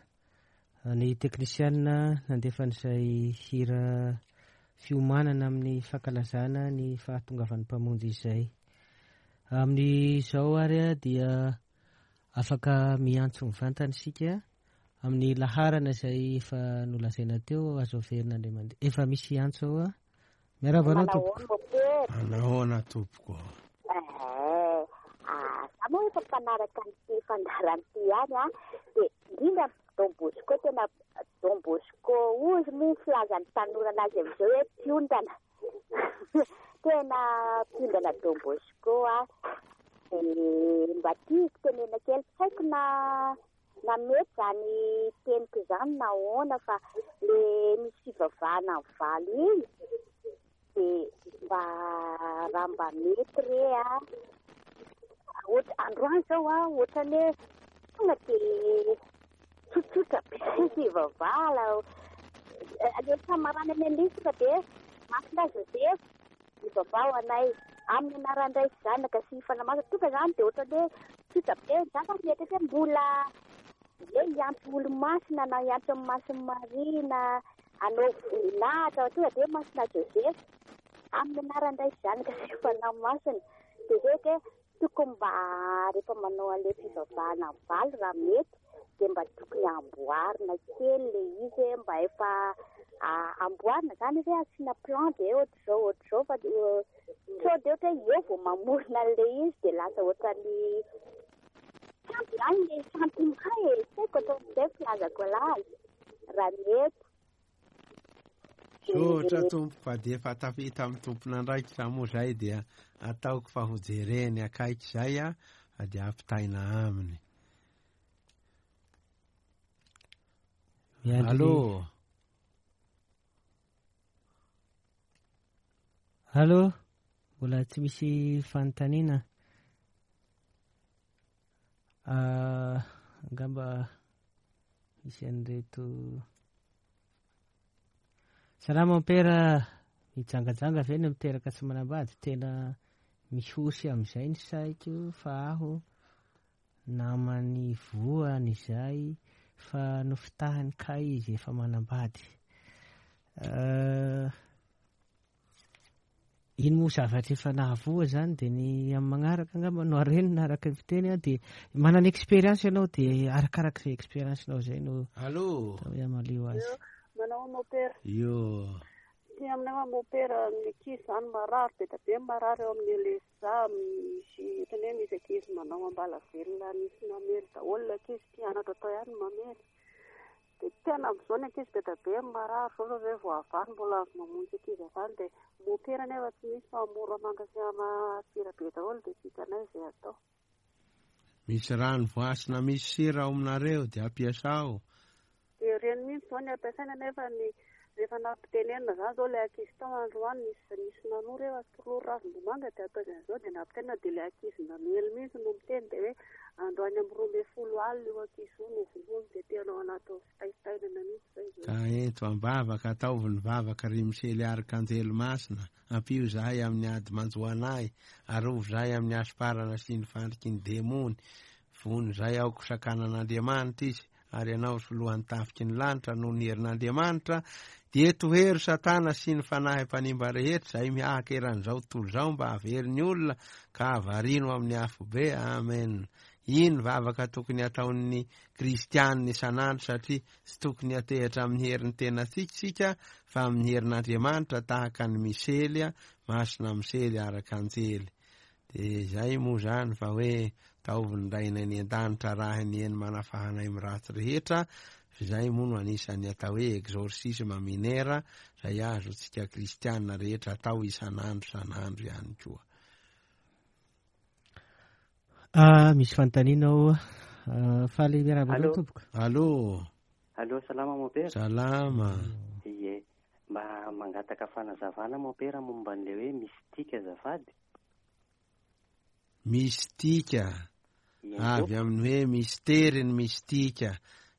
Speaker 2: ny teknisianina nandefa an'izay hira fiomanana amin'ny fankalazana ny fahatongavan'ny Mpamonjy izay. Amin'izao ary dia afaka miantso mivantana isika amin'ny laharana izay efa nolazaina teo, azo averina indray mandeha. Efa misy antso ao a. Miarahaba anao tompoko.
Speaker 3: Manahoana tompoko?
Speaker 4: Eh, za moa efa mpanaraka an'ity fandaharana ity ihany a, dia indrindra Don Bosco, tena Don Bosco ozy moa filazan'ny tanora anazy amin'izao hoe mpiondana. Tena mpiondana Don Bosco a. Dia mba tiako tenena kely, tsy haiko na na mety zany teniko izany na ahoana, fa le misy fivavahana amin'ny valo iny dia mba raha mba mety re a. Ohatra androany zao a, ohatrany hoe tonga dia tsotsotra be fivavahana. Le famaranana an'ilay tonga dia Masina Joseph mivavaha ho anay amin'ny anaran'ny Ray sy Zanaka sy Fanahy Masina. Tonga zany dia ohatrany hoe tsotra be. Za zany mieritreritra hoe mbola hoe hiantso olo-masina na hiantso amin'ny Masin'i Maria na hanao voninahitra, tonga dia Masina Joseph amin'ny anaran'ny Ray sy Zanaka sy Fanahy Masina. Dia zay hoe tokony mba rehefa manao an'ilay fivavahana amin'ny valo raha mety dia mba tokony amboarina kely le izy hoe mba efa amboarina zany hoe asiana plan dia ohatr'izao ohatr'izao, fa sao dia ohatra hoe eo vao mamorona an'ilay izy dia lasa ohatran'ny tsy ampy zany le sentiment e, tsy haiko ohatran'izay filazako anazy raha mety.
Speaker 3: Misaotra tompoko fa dia efa tafita amin'ny tompon'andraikitra moa zay, dia ataoko fa ho jereny akaiky zay a, fa dia ampitaina aminy. Allô.
Speaker 2: Allô, mbola tsy misy fanontaniana. Angamba misy an'ireto. Salama mompera, mijangajanga ve ny miteraka tsy manambady? Tena mihosy amin'izay ny saiko fa aho namany voany izay fa nofitahany kay izy efa manambady. Ino moa zavatra efa nahavoa zany dia ny amin'ny magnaraka angamba no arenina araka ny fiteny a, dia manana expérience ianao dia arakaraka izay expérience-nao izay no
Speaker 3: Allô.
Speaker 2: atao amalio azy.
Speaker 5: Manao mompera.
Speaker 3: Io.
Speaker 5: Ty aminay mompera, ny ankizy zany marary be dia be, marary eo amin'ny L S A, misy ohatrany hoe misy ankizy manao ambala velona, misy mamely daholo ny ankizy, mpianatra atao ihany mamely. Dia tena amin'izao ny ankizy be dia be marary zao zao hoe voavaly mbola avy mamonjy ankizy avy any, dia mompera nefa tsy misy fa Moramanga sy Antsirabe daholo, dia tsy hitanay izay atao.
Speaker 3: Misy rano voasina misy sira ao aminareo dia ampiasao.
Speaker 5: Dia ireny mihitsy zao ny ampiasaina, nefa ny rehefa nampitenenina zany zao ilay ankizy tao androany nisy nisy nanoro hoe tolory ravim-bomanga dia atao izany dia nampitenenina, dia ilay ankizy namely mihitsy no miteny dia hoe androany amin'ny roa ambin'ny folo alina io ankizy io no vonoiny, dia tena ao anatin'ny fitaitainana mihitsy zay izao.
Speaker 3: Ka ento am-bavaka, ataovy ny vavaka ry Misely Arkanjely Masina, ampio zahay amin'ny ady manjo anay, arovy zahay amin'ny hasomparana sy ny fandriky ny demony, vono zahay aoka sakanan'Andriamanitra izy, ary ianao solohan'ny tafiky ny lanitra noho ny herin'Andriamanitra, dia tohero Satana sy ny fanahy mpanimba rehetra izay mihahaka eran'izao tontolo izao mba hahavery ny olona ka havarino amin'ny afobe. Amen. Iny vavaka tokony ataon'ny kristianina isan'andro, satria tsy tokony hatehitra amin'ny herin'ny tenantsika isika fa amin'ny herin'Andriamanitra, tahaka ny Misely, Masina Misely Arkanjely. Dia izay moa zany fa hoe taovy ny Rainay any an-danitra raha ny eny manafahanay amin'ny ratsy rehetra. Izay moa no anisan'ny atao hoe exorcisme minera izay azontsika kristianina rehetra atao isan'andro isan'andro ihany koa.
Speaker 2: Ah, misy fanontaniana ao. Faly miarahaba anao
Speaker 6: Allô.
Speaker 2: tompoko.
Speaker 3: Allô.
Speaker 6: Allô, salama mompera.
Speaker 3: Salama.
Speaker 6: Ie, mba mangataka fanazavana mompera momba an'ilay hoe mistika azafady.
Speaker 3: Mistika.
Speaker 6: Ie,
Speaker 3: Avy amin'ny hoe mistery ny mistika.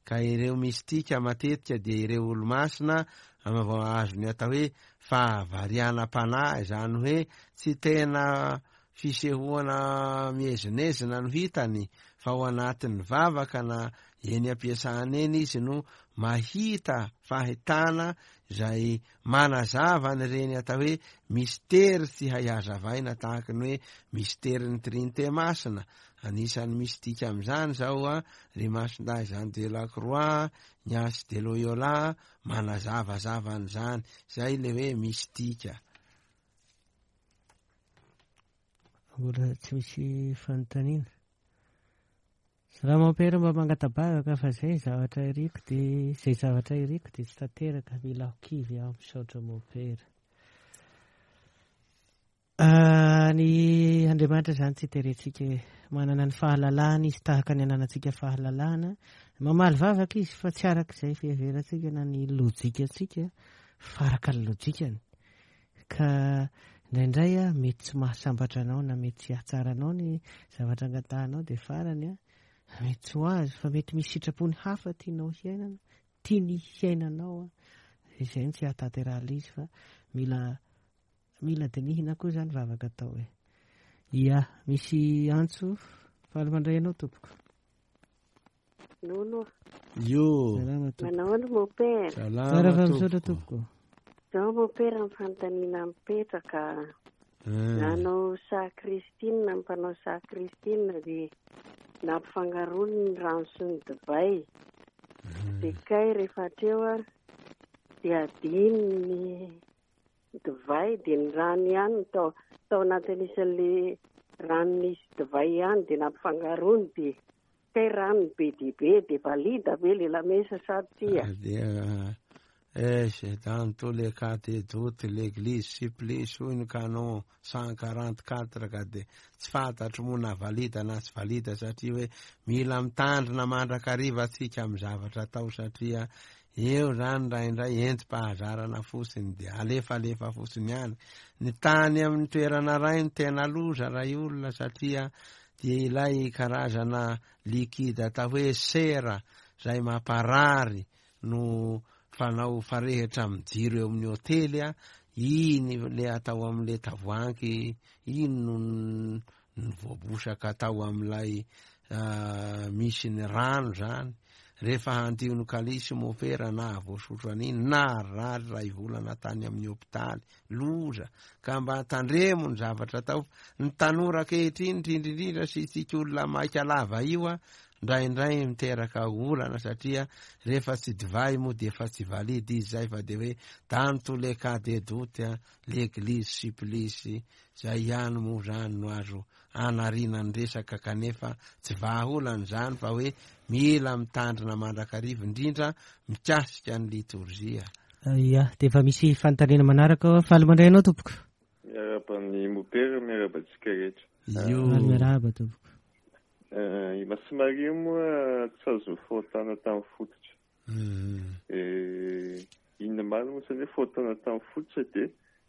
Speaker 3: Ka ireo mistika matetika dia ireo olo-masina vao azo ny atao hoe fahavarianam-panahy, izany hoe tsy tena fisehoana miezinezina no hitany fa ao anatin'ny vavaka na eny am-piasana eny izy no mahita fahitana izay manazava an'ireny atao hoe mistery tsy hay hazavaina, tahaky ny hoe misterin'ny Trinite Masina. Anisan'ny mistika amin'izany zao a ry Masindahy Jean de la Croix, Ignace de Loyola, manazavazava an'izany. Zay le hoe mistika.
Speaker 2: Mbola tsy misy fanontaniana. Salama Père, mba mangatabavaka fa zay zavatra iriko de zay zavatra iriko de tsy tanteraka, mila ho kivy aho, misaotra mon père. Ny Andriamanitra zany tsy terentsika, manana ny fahalalahana izy tahaka ny ananantsika fahalalahana. Mamaly vavaka izy fa tsy araka izay fiheverantsika na ny lojikantsika, fa araka ny lojikany. Ka indraindray a mety tsy mahasambatra anao na mety tsy hahatsara anao ny zavatra angatahanao, dia farany a mety tsy ho azo, fa mety misy sitrapony hafa tianao hiainana, tiany hiainanao a, izay no tsy hahatanterahana izy, fa mila mila dinihina koa zany vavaka atao e. Ia, misy antso, faly mandray anao tompoko.
Speaker 7: Nono.
Speaker 3: Io.
Speaker 2: Salama tompoko.
Speaker 7: Manao ahoana mon père?
Speaker 3: Salama
Speaker 2: Tsara fa misaotra
Speaker 3: tompoko.
Speaker 2: tompoko.
Speaker 7: Zao mon père ny fanontaniana mipetraka.
Speaker 3: Hmm.
Speaker 7: Nanao sakristine, mpanao sakristine dia nampifangaroany ny rano sy ny divay. Dia kay rehefa hatreo a dia adino ny divay, dia ny rano ihany no tao, tao anatin'isan'le rano nisy divay ihany dia nampifangaroany, dia kay rano be dia be, dia valida be le lamesa sady tsia.
Speaker 3: Dia eh, dans tous les cas de doute, l'église supplice hoy ny canon cent quarante-quatre, ka dia tsy fantatro moa na valida na tsy valida, satria hoe mila mitandrina mandrakariva antsika amin'ny zavatra atao, satria eo zany indraindray entim-pahazarana fotsiny dia alefalefa fotsiny ihany. Ny tany amin'ny toerana ray no tena loza ray olona, satria dia ilay karazana liquide atao hoe sera zay mamparary no fanao farehitra amin'ny jiro eo amin'ny hotely a, iny le atao amin'le tavoahangy iny no ny voabosaka atao amin'ilay misy ny rano zany. Rehefa handio ny kalisy mopera na voasotro an'iny na rary ray volana tany amin'ny hopitaly, loza. Ka mba tandremo ny zavatra atao. Ny tanora ankehitriny indrindra sy tsika olona maika lava io a, indraindray miteraka olana, satria rehefa tsy divay moa dia efa tsy valide izy zay, fa dia hoe dans tous les cas de doute l'église supplice, zay ihany moa zany no azo anariana ny resaka, kanefa tsy vahaolana zany, fa hoe mila mitandrina mandrakariva indrindra mikasika ny litorjia.
Speaker 2: Ia, dia efa misy fanontaniana manaraka ao. Faly mandray anao tompoko.
Speaker 8: Miarahaba ny mopera, miarahaba antsika rehetra.
Speaker 3: Io.
Speaker 2: Faly miarahaba tompoko.
Speaker 8: I Masimaria moa tsy azo fahotana tamin'ny fototra. Inona marina moa zany hoe fahotana tamin'ny fototra, dia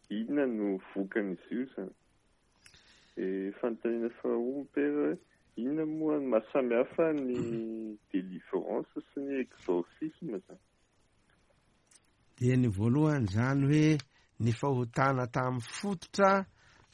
Speaker 8: inona no vokan'izy io zany? Fanontaniana faharoa mopera hoe inona moa ny mahasamihafa ny délivrance sy ny exorcisme zany?
Speaker 3: Dia ny voalohany zany hoe ny fahotana tamin'ny fototra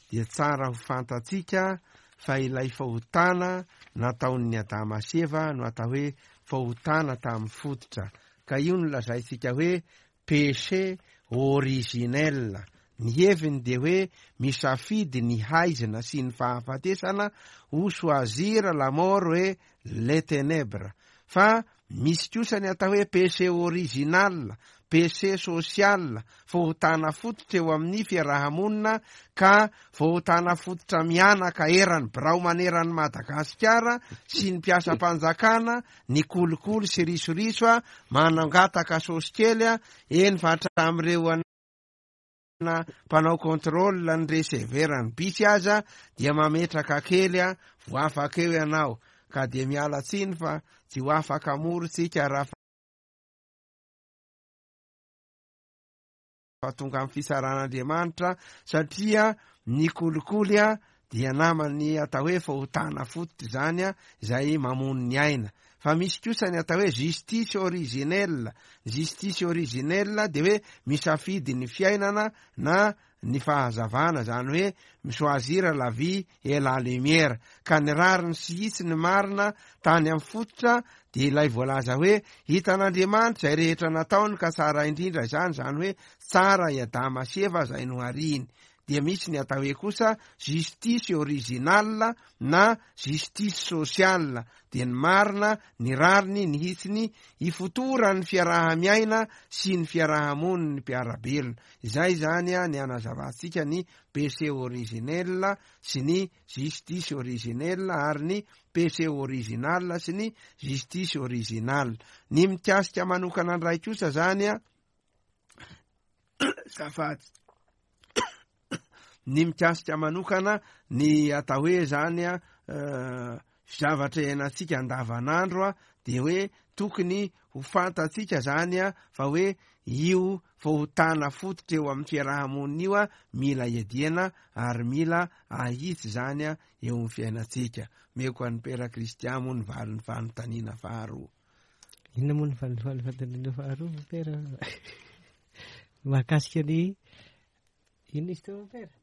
Speaker 3: dia tsara ho fantatsika fa ilay fahotana nataon'ny Adama sy Eva no atao hoe fahotana tamin'ny fototra, ka io no lazaintsika hoe péché originel. Ny heviny dia hoe misafidy ny haizina sy ny fahafatesana, ou choisir la mort et les ténèbres. Fa misy kosa ny atao hoe péché original, péché social, fahotana fototra eo amin'ny fiarahamonina, ka fahotana fototra mianaka eran'ny birao maneran'ny Madagasikara sy ny mpiasam-panjakana, ny kolikoly sy risoriso a, manangataka sosy kely a, eny fa hatramin'ireo ana mpanao contrôle ny receveur ny bisy aza dia mametraka kely a, vo afaka eo ianao, ka dia miala tsiny fa tsy ho afaka moro tsika raha fa tonga amin'ny fisaran'Andriamanitra, satria ny kolikoly a dia namany atao hoe fahotana fototra zany a, izay mamono ny aina. Fa misy kosa ny atao hoe justice originelle. Justice originelle dia hoe misafidy ny fiainana na ny fahazavana, zany hoe mi-choisir la vie et la lumière. Ka ny rariny sy hitsiny marina tany amin'ny fototra dia ilay voalaza hoe hitan'Andriamanitra izay rehetra nataony ka tsara indrindra izany, zany hoe tsara i Adama sy Eva izay nohariny. Dia misy ny atao hoe kosa justice originale na justice sociale, dia ny marina, ny rariny, ny hitsiny ifotoran'ny fiaraha-miaina sy ny fiarahamonin'ny mpiara-belona. Izay zany a ny anazavantsika ny péché originel sy ny justice originelle ary ny péché original sy ny justice originale. Ny mikasika manokana ndray kosa zany a zafady ny mikasika manokana ny atao hoe zany a zavatra iainantsika andavanandro a dia hoe tokony ho fantatsika zany a fa hoe io fahotana fototra eo amin'ny fiarahamonina io a mila iadiana ary mila ahitsy zany a eo amin'ny fiainantsika. Meko an'ny Pera Kristian moa ny valin'ny fanontaniana faharoa.
Speaker 2: Inona moa ny valin'ny fanontaniana faharoa, Pera? Mahakasika ny inona izy teo, Pera?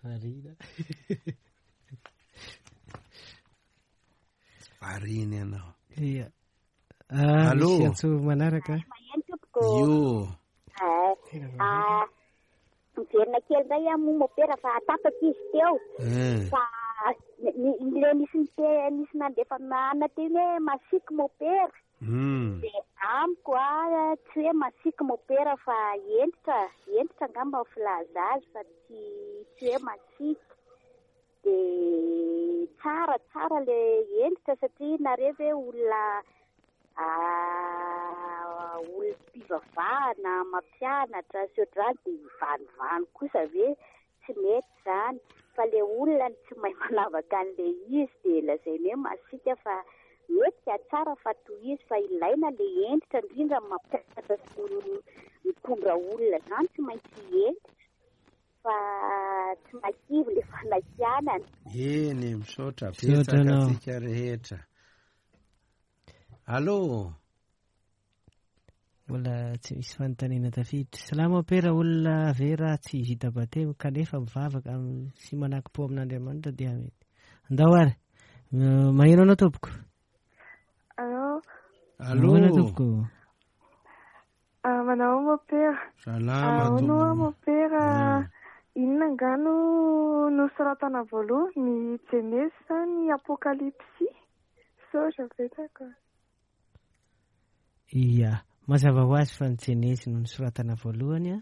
Speaker 2: Varina.
Speaker 3: Varina ianao.
Speaker 2: Ia. Ah, misy antso manaraka.
Speaker 3: Io.
Speaker 4: Ah, miverina kely indray aho moa mopera fa tapaka izy teo. Fa le nisy nisy nandefa mana teny hoe masiky mopera. Dia amiko a tsy hoe masiky mopera fa hentitra, hentitra angamba ny filaza azy fa tsy tsy hoe masiky. Dia tsara tsara le hentitra satria nareo ve olona olom-pivavahana mampianatra sy ohatr'izany dia hivanivany kosa ve tsy mety izany, fa le olona no tsy mahay manavaka an'le izy dia lazainy hoe masiaka fa mety ka tsara fa tohizo fa ilaina le hentitra indrindra mampianatra sy mitondra olona izany tsy maintsy hentitra fa tsy makivy le fanakianana.
Speaker 3: Eny, misaotra betsaka antsika rehetra. Allô.
Speaker 2: Mbola tsy misy fanontaniana tafiditra. Salama Pera, olona vera tsy vita batemy kanefa mivavaka sy manakim-po amin'Andriamanitra dia mety. Andao ary. Maheno anao tompoko.
Speaker 9: Allô.
Speaker 3: Allô.
Speaker 2: Maheno tompoko.
Speaker 9: Ah, manao mopera.
Speaker 3: Salama
Speaker 9: tompoko. Mopera. Inona nga no nosoratana voalohany, ny Jenezy sa ny Apokalypsy? Misaotra betsaka.
Speaker 2: Ia, mazava ho azy fa ny Jenezy no nosoratana voalohany a.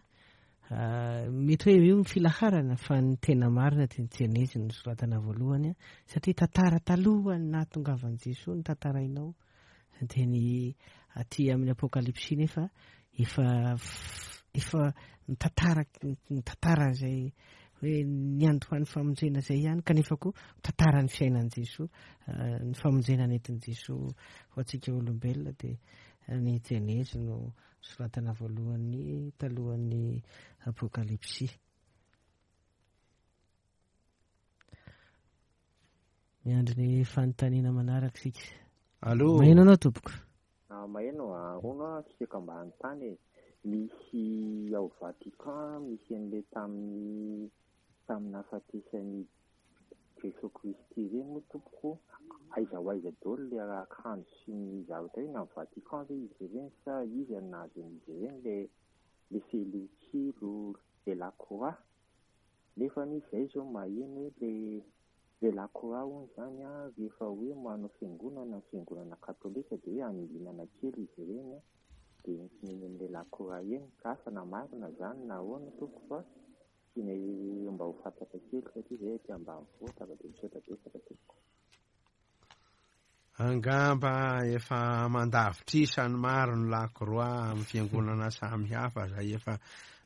Speaker 2: Mety hoe io ny filaharana fa ny tena marina dia ny Jenezy no nosoratana voalohany a, satria tantara talohan'ny nahatongavan'i Jesoa ny tantarainao. Dia ny aty amin'ny Apokalypsy nefa efa efa mitantara mitantara izay hoe ny andohan'ny famonjena izay ihany, kanefa koa mitantara ny fiainan'i Jesoa, ny famonjena nentin'i Jesoa ho antsika olombelona. Dia ny Jenezy no soratana voalohany talohan'ny Apokalypsy. Miandry ny fanontaniana manaraka isika.
Speaker 3: Allô.
Speaker 2: Maheno anao tompoko.
Speaker 10: Maheno arono tsika mba hanontany e. Misy ao Vatican misy an'ilay tamin'ny tamin'ny nahafatesan'i Jesoa Kristy ireny moa tompoko, aiza ho aiza daholo ilay akanjo sy ny zavatra iny amin'ny Vatican ve izy ireny sa iza no nahazo an'izy ireny le le felotsilo le lakroa? Nefa izay izao maheno hoe le le lakroa hono izany a rehefa hoe manao fiangonana ny fiangonana katolika dia hoe anidinana kely izy ireny a dia entina eny amin'ilay lakroa eny, ka asa na marina izany na ahoana tompoko fa tiana mba ho fantatra kely satria izay aty ambanivohitra fa dia misaotra betsaka tompoko.
Speaker 3: Angamba efa mandavitrisa ny maro ny lakroa amin'ny fiangonana samihafa izay efa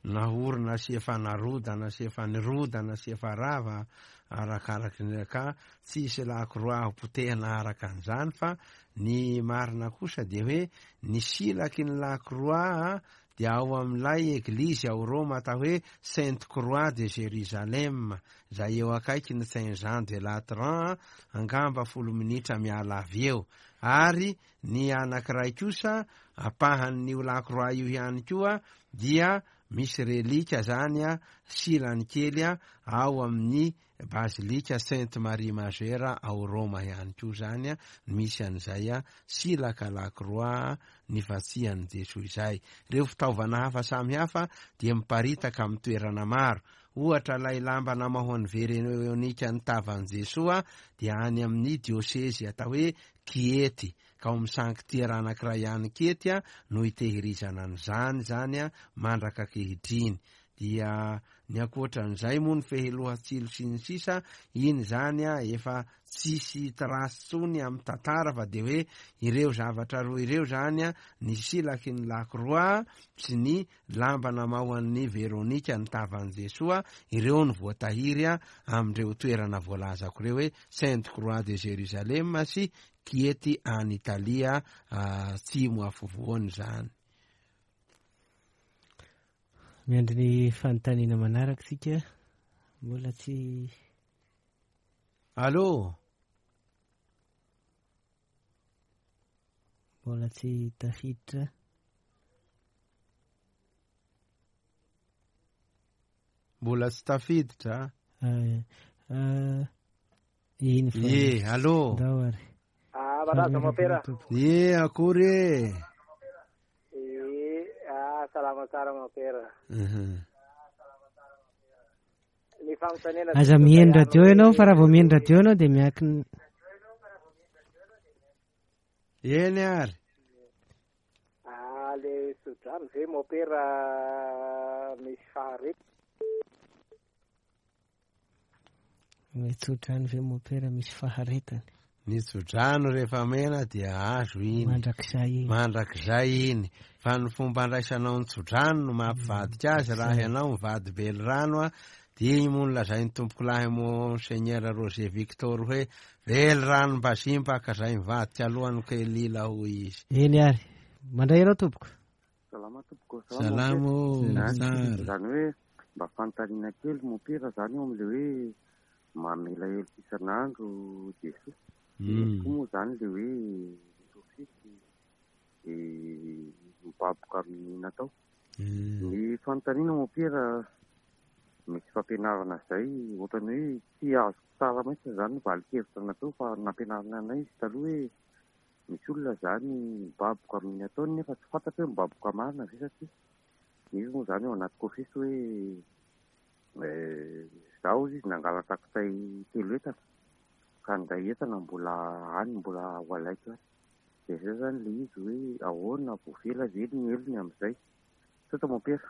Speaker 3: nahorina sy efa narodana sy efa nirodana sy efa rava arakaraky ny ka tsisy lakroa ho potehina araka an'izany, fa ny marina kosa dia hoe ny silaky ny lakroa dia ao amin'ilay eglizy ao Roma atao hoe Sainte Croix de Jérusalem izay eo akaiky ny Saint Jean de Latran, angamba folo minitra miala avy eo. Ary ny anankiray kosa ampahan'io Lakroa io ihany koa dia misy relika zany a silany kely a ao amin'ny Bazilika Sainte Marie Majeure ao Roma ihany koa zany a misy an'izay a silaka Lakroa nifantsihan'i Jesoa izay. Ireo fitaovana hafa samihafa dia miparitaka amin'ny toerana maro. Ohatra ilay lamba namahoan'ny Veronika ny tavan'i Jesoa dia any amin'ny diosezy atao hoe Kiety, ka ao amin'ny sanktiera anankiray ihany Kiety a no itehirizana an'izany zany a mandraka ankehitriny. Dia ny ankoatran'izay moa ny fehiloha-tsilo sy ny sisa, iny zany a efa tsisy trace intsony amin'ny tantara, fa dia hoe ireo zavatra roa ireo zany a, ny silaky ny Lakroa sy ny lamba namahoan'ny Veronika ny tavan'i Jesoa, ireo no voatahiry a amin'ireo toerana voalazako ireo hoe Sainte Croix de Jérusalem sy Kiety any Italia atsimo afovoany zany.
Speaker 2: Miandry ny fanontaniana manaraka isika, mbola tsy.
Speaker 3: Allô?
Speaker 2: Mbola tsy tafiditra.
Speaker 3: Mbola tsy tafiditra.
Speaker 2: Iny fa.
Speaker 3: Ye, allô?
Speaker 2: Ndao ary.
Speaker 11: Ah, baraza mopera.
Speaker 3: Ye, akory e.
Speaker 11: Eh, ah, salama tsara mopera.
Speaker 3: Mhm.
Speaker 11: Ny fanontaniana
Speaker 2: Aza mihaino radio ianao, fa raha vao mihaino radio ianao dia miankina.
Speaker 3: Eny ary.
Speaker 11: Ah, le tsodrano ve mopera misy faharetana?
Speaker 2: Ny tsodrano ve mopera misy faharetana?
Speaker 3: Ny tsodrano rehefa mena dia azo iny.
Speaker 2: Mandrakizay iny.
Speaker 3: Mandrakizay iny. Fa ny fomba andraisanao ny tsodrano no mampivadika azy. Raha ianao mivady velirano a, dia iny moa no lazain'ny tompokolahy Monseigneur Roger Victor hoe velirano mbazimba ka zay mivadika alohan'ny kelila hoy izy.
Speaker 2: Eny ary. Mandray ianao tompoko.
Speaker 10: Salama tompoko.
Speaker 3: Salama ô, tsara.
Speaker 10: Zany hoe mba fanontaniana kely mopera zany eo amin'ilay hoe mamela heloka isan'andro Jesoa.
Speaker 3: Mm.
Speaker 10: Koa moa zany le hoe sofisy mibaboka amin'ny natao. Ny fanontaniana mopera misy fampianarana zay ohatrany hoe tsy azoko tsara mihitsy zany ny valin-kevitra natao, fa nampianarina anay izy taloha hoe misy olona zany mibaboka amin'ny ataony nefa tsy fantatra hoe mibaboka marina ve, satria misy moa zany ao anaty kofisy hoe zaho izy nangalatra kitay telo entana ka ndray entana mbola any mbola ho alaiko any. Dia zay zany le izy hoe ahoana voavela ve ny helony amin'izay? Misaotra mopera.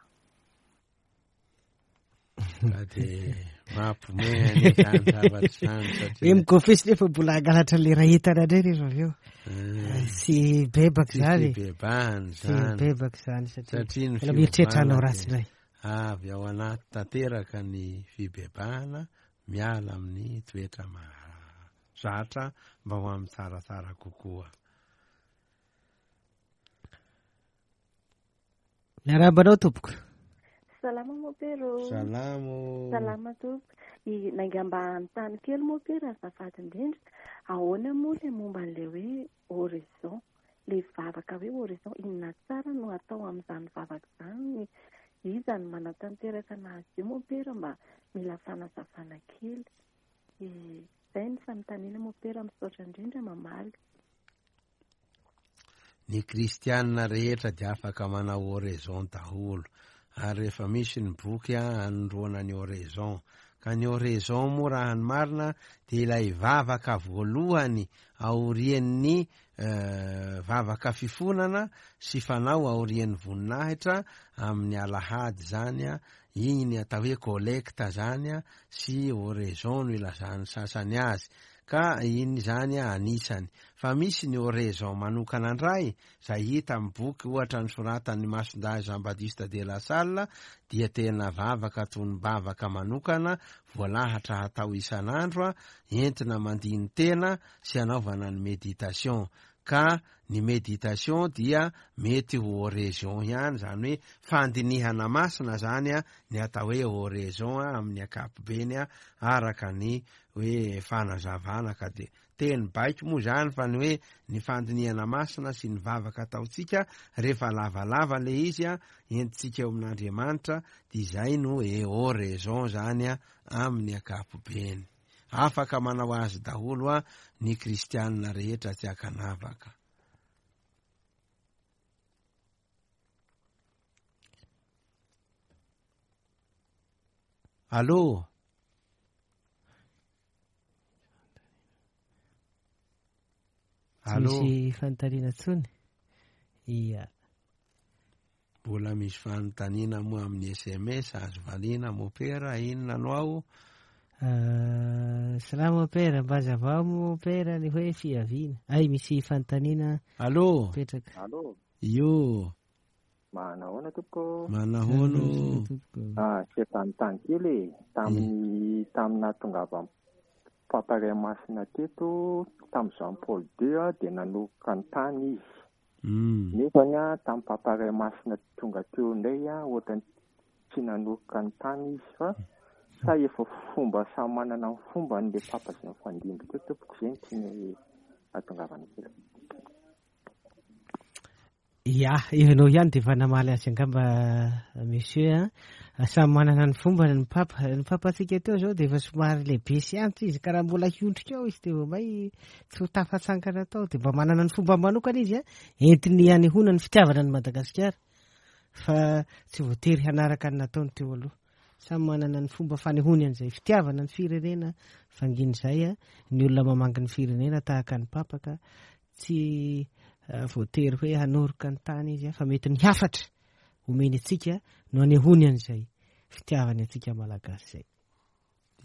Speaker 3: Ka dia mampiomehy anie zany zavatra zany satria
Speaker 2: Hoe mikofesy nefa mbola hangalatra le ray entana indray rehefa avy eo. Tsy bebaka
Speaker 3: Tsy
Speaker 2: zany.
Speaker 3: fibebahana
Speaker 2: Tsy
Speaker 3: zany.
Speaker 2: bebaka zany satria
Speaker 3: Satria ny
Speaker 2: mbola mieritreritra hanao
Speaker 3: fiovana
Speaker 2: ratsy
Speaker 3: dia
Speaker 2: indray.
Speaker 3: avy ao anaty tanteraka ny fibebahana, miala amin'ny toetra mahazatra mba ho amin'ny tsaratsara kokoa.
Speaker 2: Miarahaba anao tompoko.
Speaker 12: Salama mopero.
Speaker 3: Salamo.
Speaker 12: Salama tompoko. I nangamba hanontany kely mopera azafady indrindra. Ahoana moa le momba an'ilay hoe horizon? Le vavaka hoe horizon, inona tsara no atao amin'izany vavaka izany? Iza no manatanteraka anazy io mopera mba mila fanazavana kely? Izay ny fanontaniana mopera, misaotra indrindra mamaly.
Speaker 3: Ny kristianina rehetra dia afaka manao oraison daholo, ary rehefa misy ny boky a anondroana ny oraison. Ka ny oraison moa raha ny marina dia ilay vavaka voalohany aorian'ny vavaka fifonana sy fanao aorian'ny voninahitra amin'ny alahady zany a, iny ny atao hoe collecte zany a, sy oraison no ilazan'ny sasany azy. Ka iny zany a anisany. Fa misy ny oraison manokana indray zay hita amin'ny boky ohatra ny soratan'ny Masindahy Jean Baptiste de la Salle, dia tena vavaka toy ny vavaka manokana voalahatra hatao isan'andro a, entina mandiny tena sy anaovana ny méditation. Ka ny méditation dia mety ho oraison ihany, zany hoe fandinihana masina zany a ny atao hoe oraison a amin'ny ankapobeny a, araka ny hoe fanazavana, ka de Teny baiko moa zany fa ny hoe ny fandinihana masina sy ny vavaka ataontsika rehefa lavalava le izy a entintsika eo amin'Andriamanitra, dia izay no hoe oraison zany a amin'ny ankapobeny. Afaka manao azy daholo a ny kristianina rehetra tsy ankanavaka. Allô?
Speaker 2: Tsy misy fanontaniana intsony? Ia.
Speaker 3: Mbola misy fanontaniana moa amin'ny S M S azo valiana mopera, inona no ao?
Speaker 2: Ah, salama mopera, mba hazavao mopera ny hoe fiaviana. Ay, misy fanontaniana.
Speaker 3: Allô?
Speaker 2: Mipetraka.
Speaker 10: Allô?
Speaker 3: Io.
Speaker 10: Manahoana tompoko?
Speaker 3: Manahoana?
Speaker 10: Ah, sy fanontany kely e. Tamin'ny tamin'ny nahatongavan'ny Papa Ray Masina teto, tamin'ny Jean Paul deux a, dia nanoroka ny tany izy.
Speaker 3: Mm.
Speaker 10: Nefa ny a, tamin'ny Papa Ray Masina tonga teo indray a, ohatrany tsy nanoroka ny tany izy fa sa efa fomba samy manana ny fomba an'ilay Papa izay nifandimby teo tompoko, izay no tiany hahatongavana kely.
Speaker 2: Ia, ianao ihany dia efa namaly azy angamba monsieur a. Samy manana ny fomba ny papa. Ny papantsika teo zao dia efa somary lehibe sy antitra izy, ka raha mbola hiondrika ao izy dia vao may tsy ho tafatsankana tao. Dia mba manana ny fomba manokana izy a, entiny hanehoana ny fitiavana ny Madagasikara, fa tsy voatery hanaraka ny nataony teo aloha. Samy manana ny fomba fanehoany an'izay fitiavana ny firenena, fangin'izay a, ny olona mamangy ny firenena tahaka ny papa ka tsy voatery hoe hanoroka ny tany izy, fa mety ny hafatra omeny antsika no anehoany an'izay fitiavany antsika malagasy izay.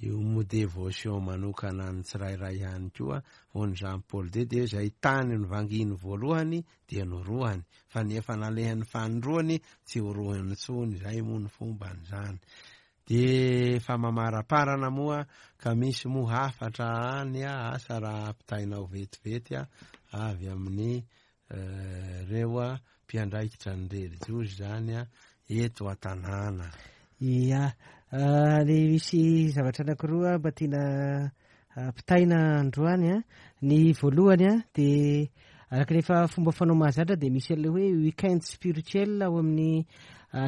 Speaker 3: Io moa dévotion manokana ny tsirairay ihany koa, ho an'i Jean Paul deux dia izay tany nivanginy voalohany dia norohany, fa ny efa nalehany fanindroany tsy horohany intsony, izay moa ny fomban'izany. Dia efa mamaraparana moa ka misy moa hafatra any a, asa raha ampitainao vetivety a, avy amin'ny reo a mpiandraikitra ny relijiozy zany a eto an-tanàna.
Speaker 2: Ia, le misy zavatra anankiroa mba tiana ampitaina androany a. Ny voalohany a dia araka ny efa fomba fanao mahazatra dia misy an'ilay hoe weekend spirituel ao amin'ny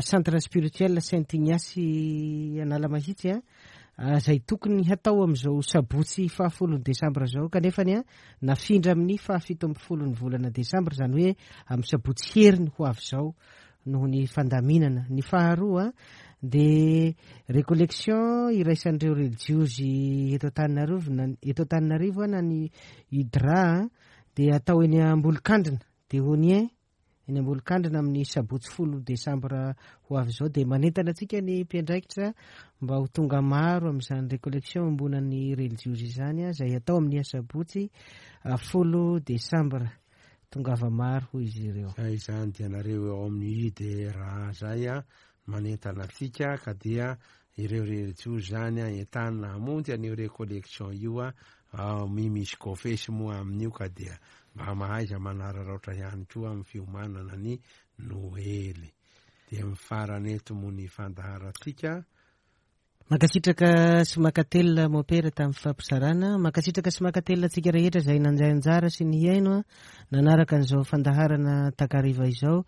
Speaker 2: centre spirituel Saint Ignace Analamahitsy a, izay tokony hatao amin'izao sabotsy fahafolon'ny desambra izao, kanefa ny a nafindra amin'ny fahafito ambin'ny folon'ny volana desambra, izany hoe amin'ny sabotsy heriny ho avy izao noho ny fandaminana. Ny faharoa dia récollection iraisan'ireo relijiozy eto Antananarivo na eto Antananarivo na ny U D R A dia atao eny Ambolokandrina, dia Onien eny Ambolokandrina amin'ny sabotsy folo desambra ho avy izao. Dia manentana antsika ny mpiandraikitra mba ho tonga maro amin'izany récollection ombonan'ny relijiozy izany, izay atao amin'ny sabotsy folo desambra. Tongava maro hoy izy ireo.
Speaker 3: Zay izany dia nareo eo amin'ny U D R A zay a manentana antsika, ka dia ireo relijiozy zany a entanina hamonjy an'io récollection io a, misy kofesy moa amin'io, ka dia mba mahaiza manararaotra ihany koa amin'ny fiomanana ny Noely. Dia mifarana eto moa ny fandaharantsika.
Speaker 2: Mankasitraka sy mankatelina mopera tamin'ny fampizarana. Mankasitraka sy mankatelina antsika rehetra izay nandray anjara sy nihaino a, nanaraka an'izao fandaharana takariva izao.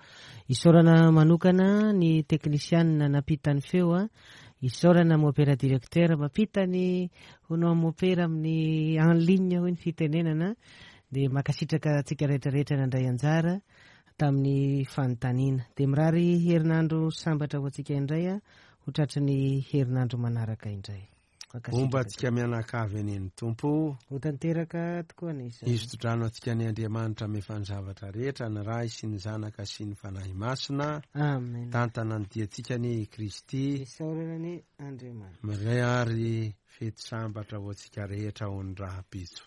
Speaker 2: Isaorana manokana ny teknisianina nampita ny feo a. Isaorana mopera directeur mampita ny hono mopera amin'ny en ligne hoy ny fitenenana. Dia mankasitraka antsika rehetra rehetra nandray anjara tamin'ny fanontaniana. Dia mirary herinandro sambatra ho antsika indray a, ho tratry ny herinandro manaraka indray.
Speaker 3: Homba antsika mianakavy eny ny Tompo.
Speaker 2: Ho tanteraka tokoa ny izany.
Speaker 3: Izy todrano antsika ny Andriamanitra mefa ny zavatra rehetra, ny Ray sy ny Zanaka sy ny Fanahy Masina.
Speaker 2: Amen.
Speaker 3: Tantana ny diantsika ny Kristy.
Speaker 2: Isaorana ny Andriamanitra.
Speaker 3: Mirary fety sambatra ho antsika rehetra ho ny rahampitso.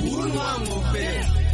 Speaker 1: Uno a mopera.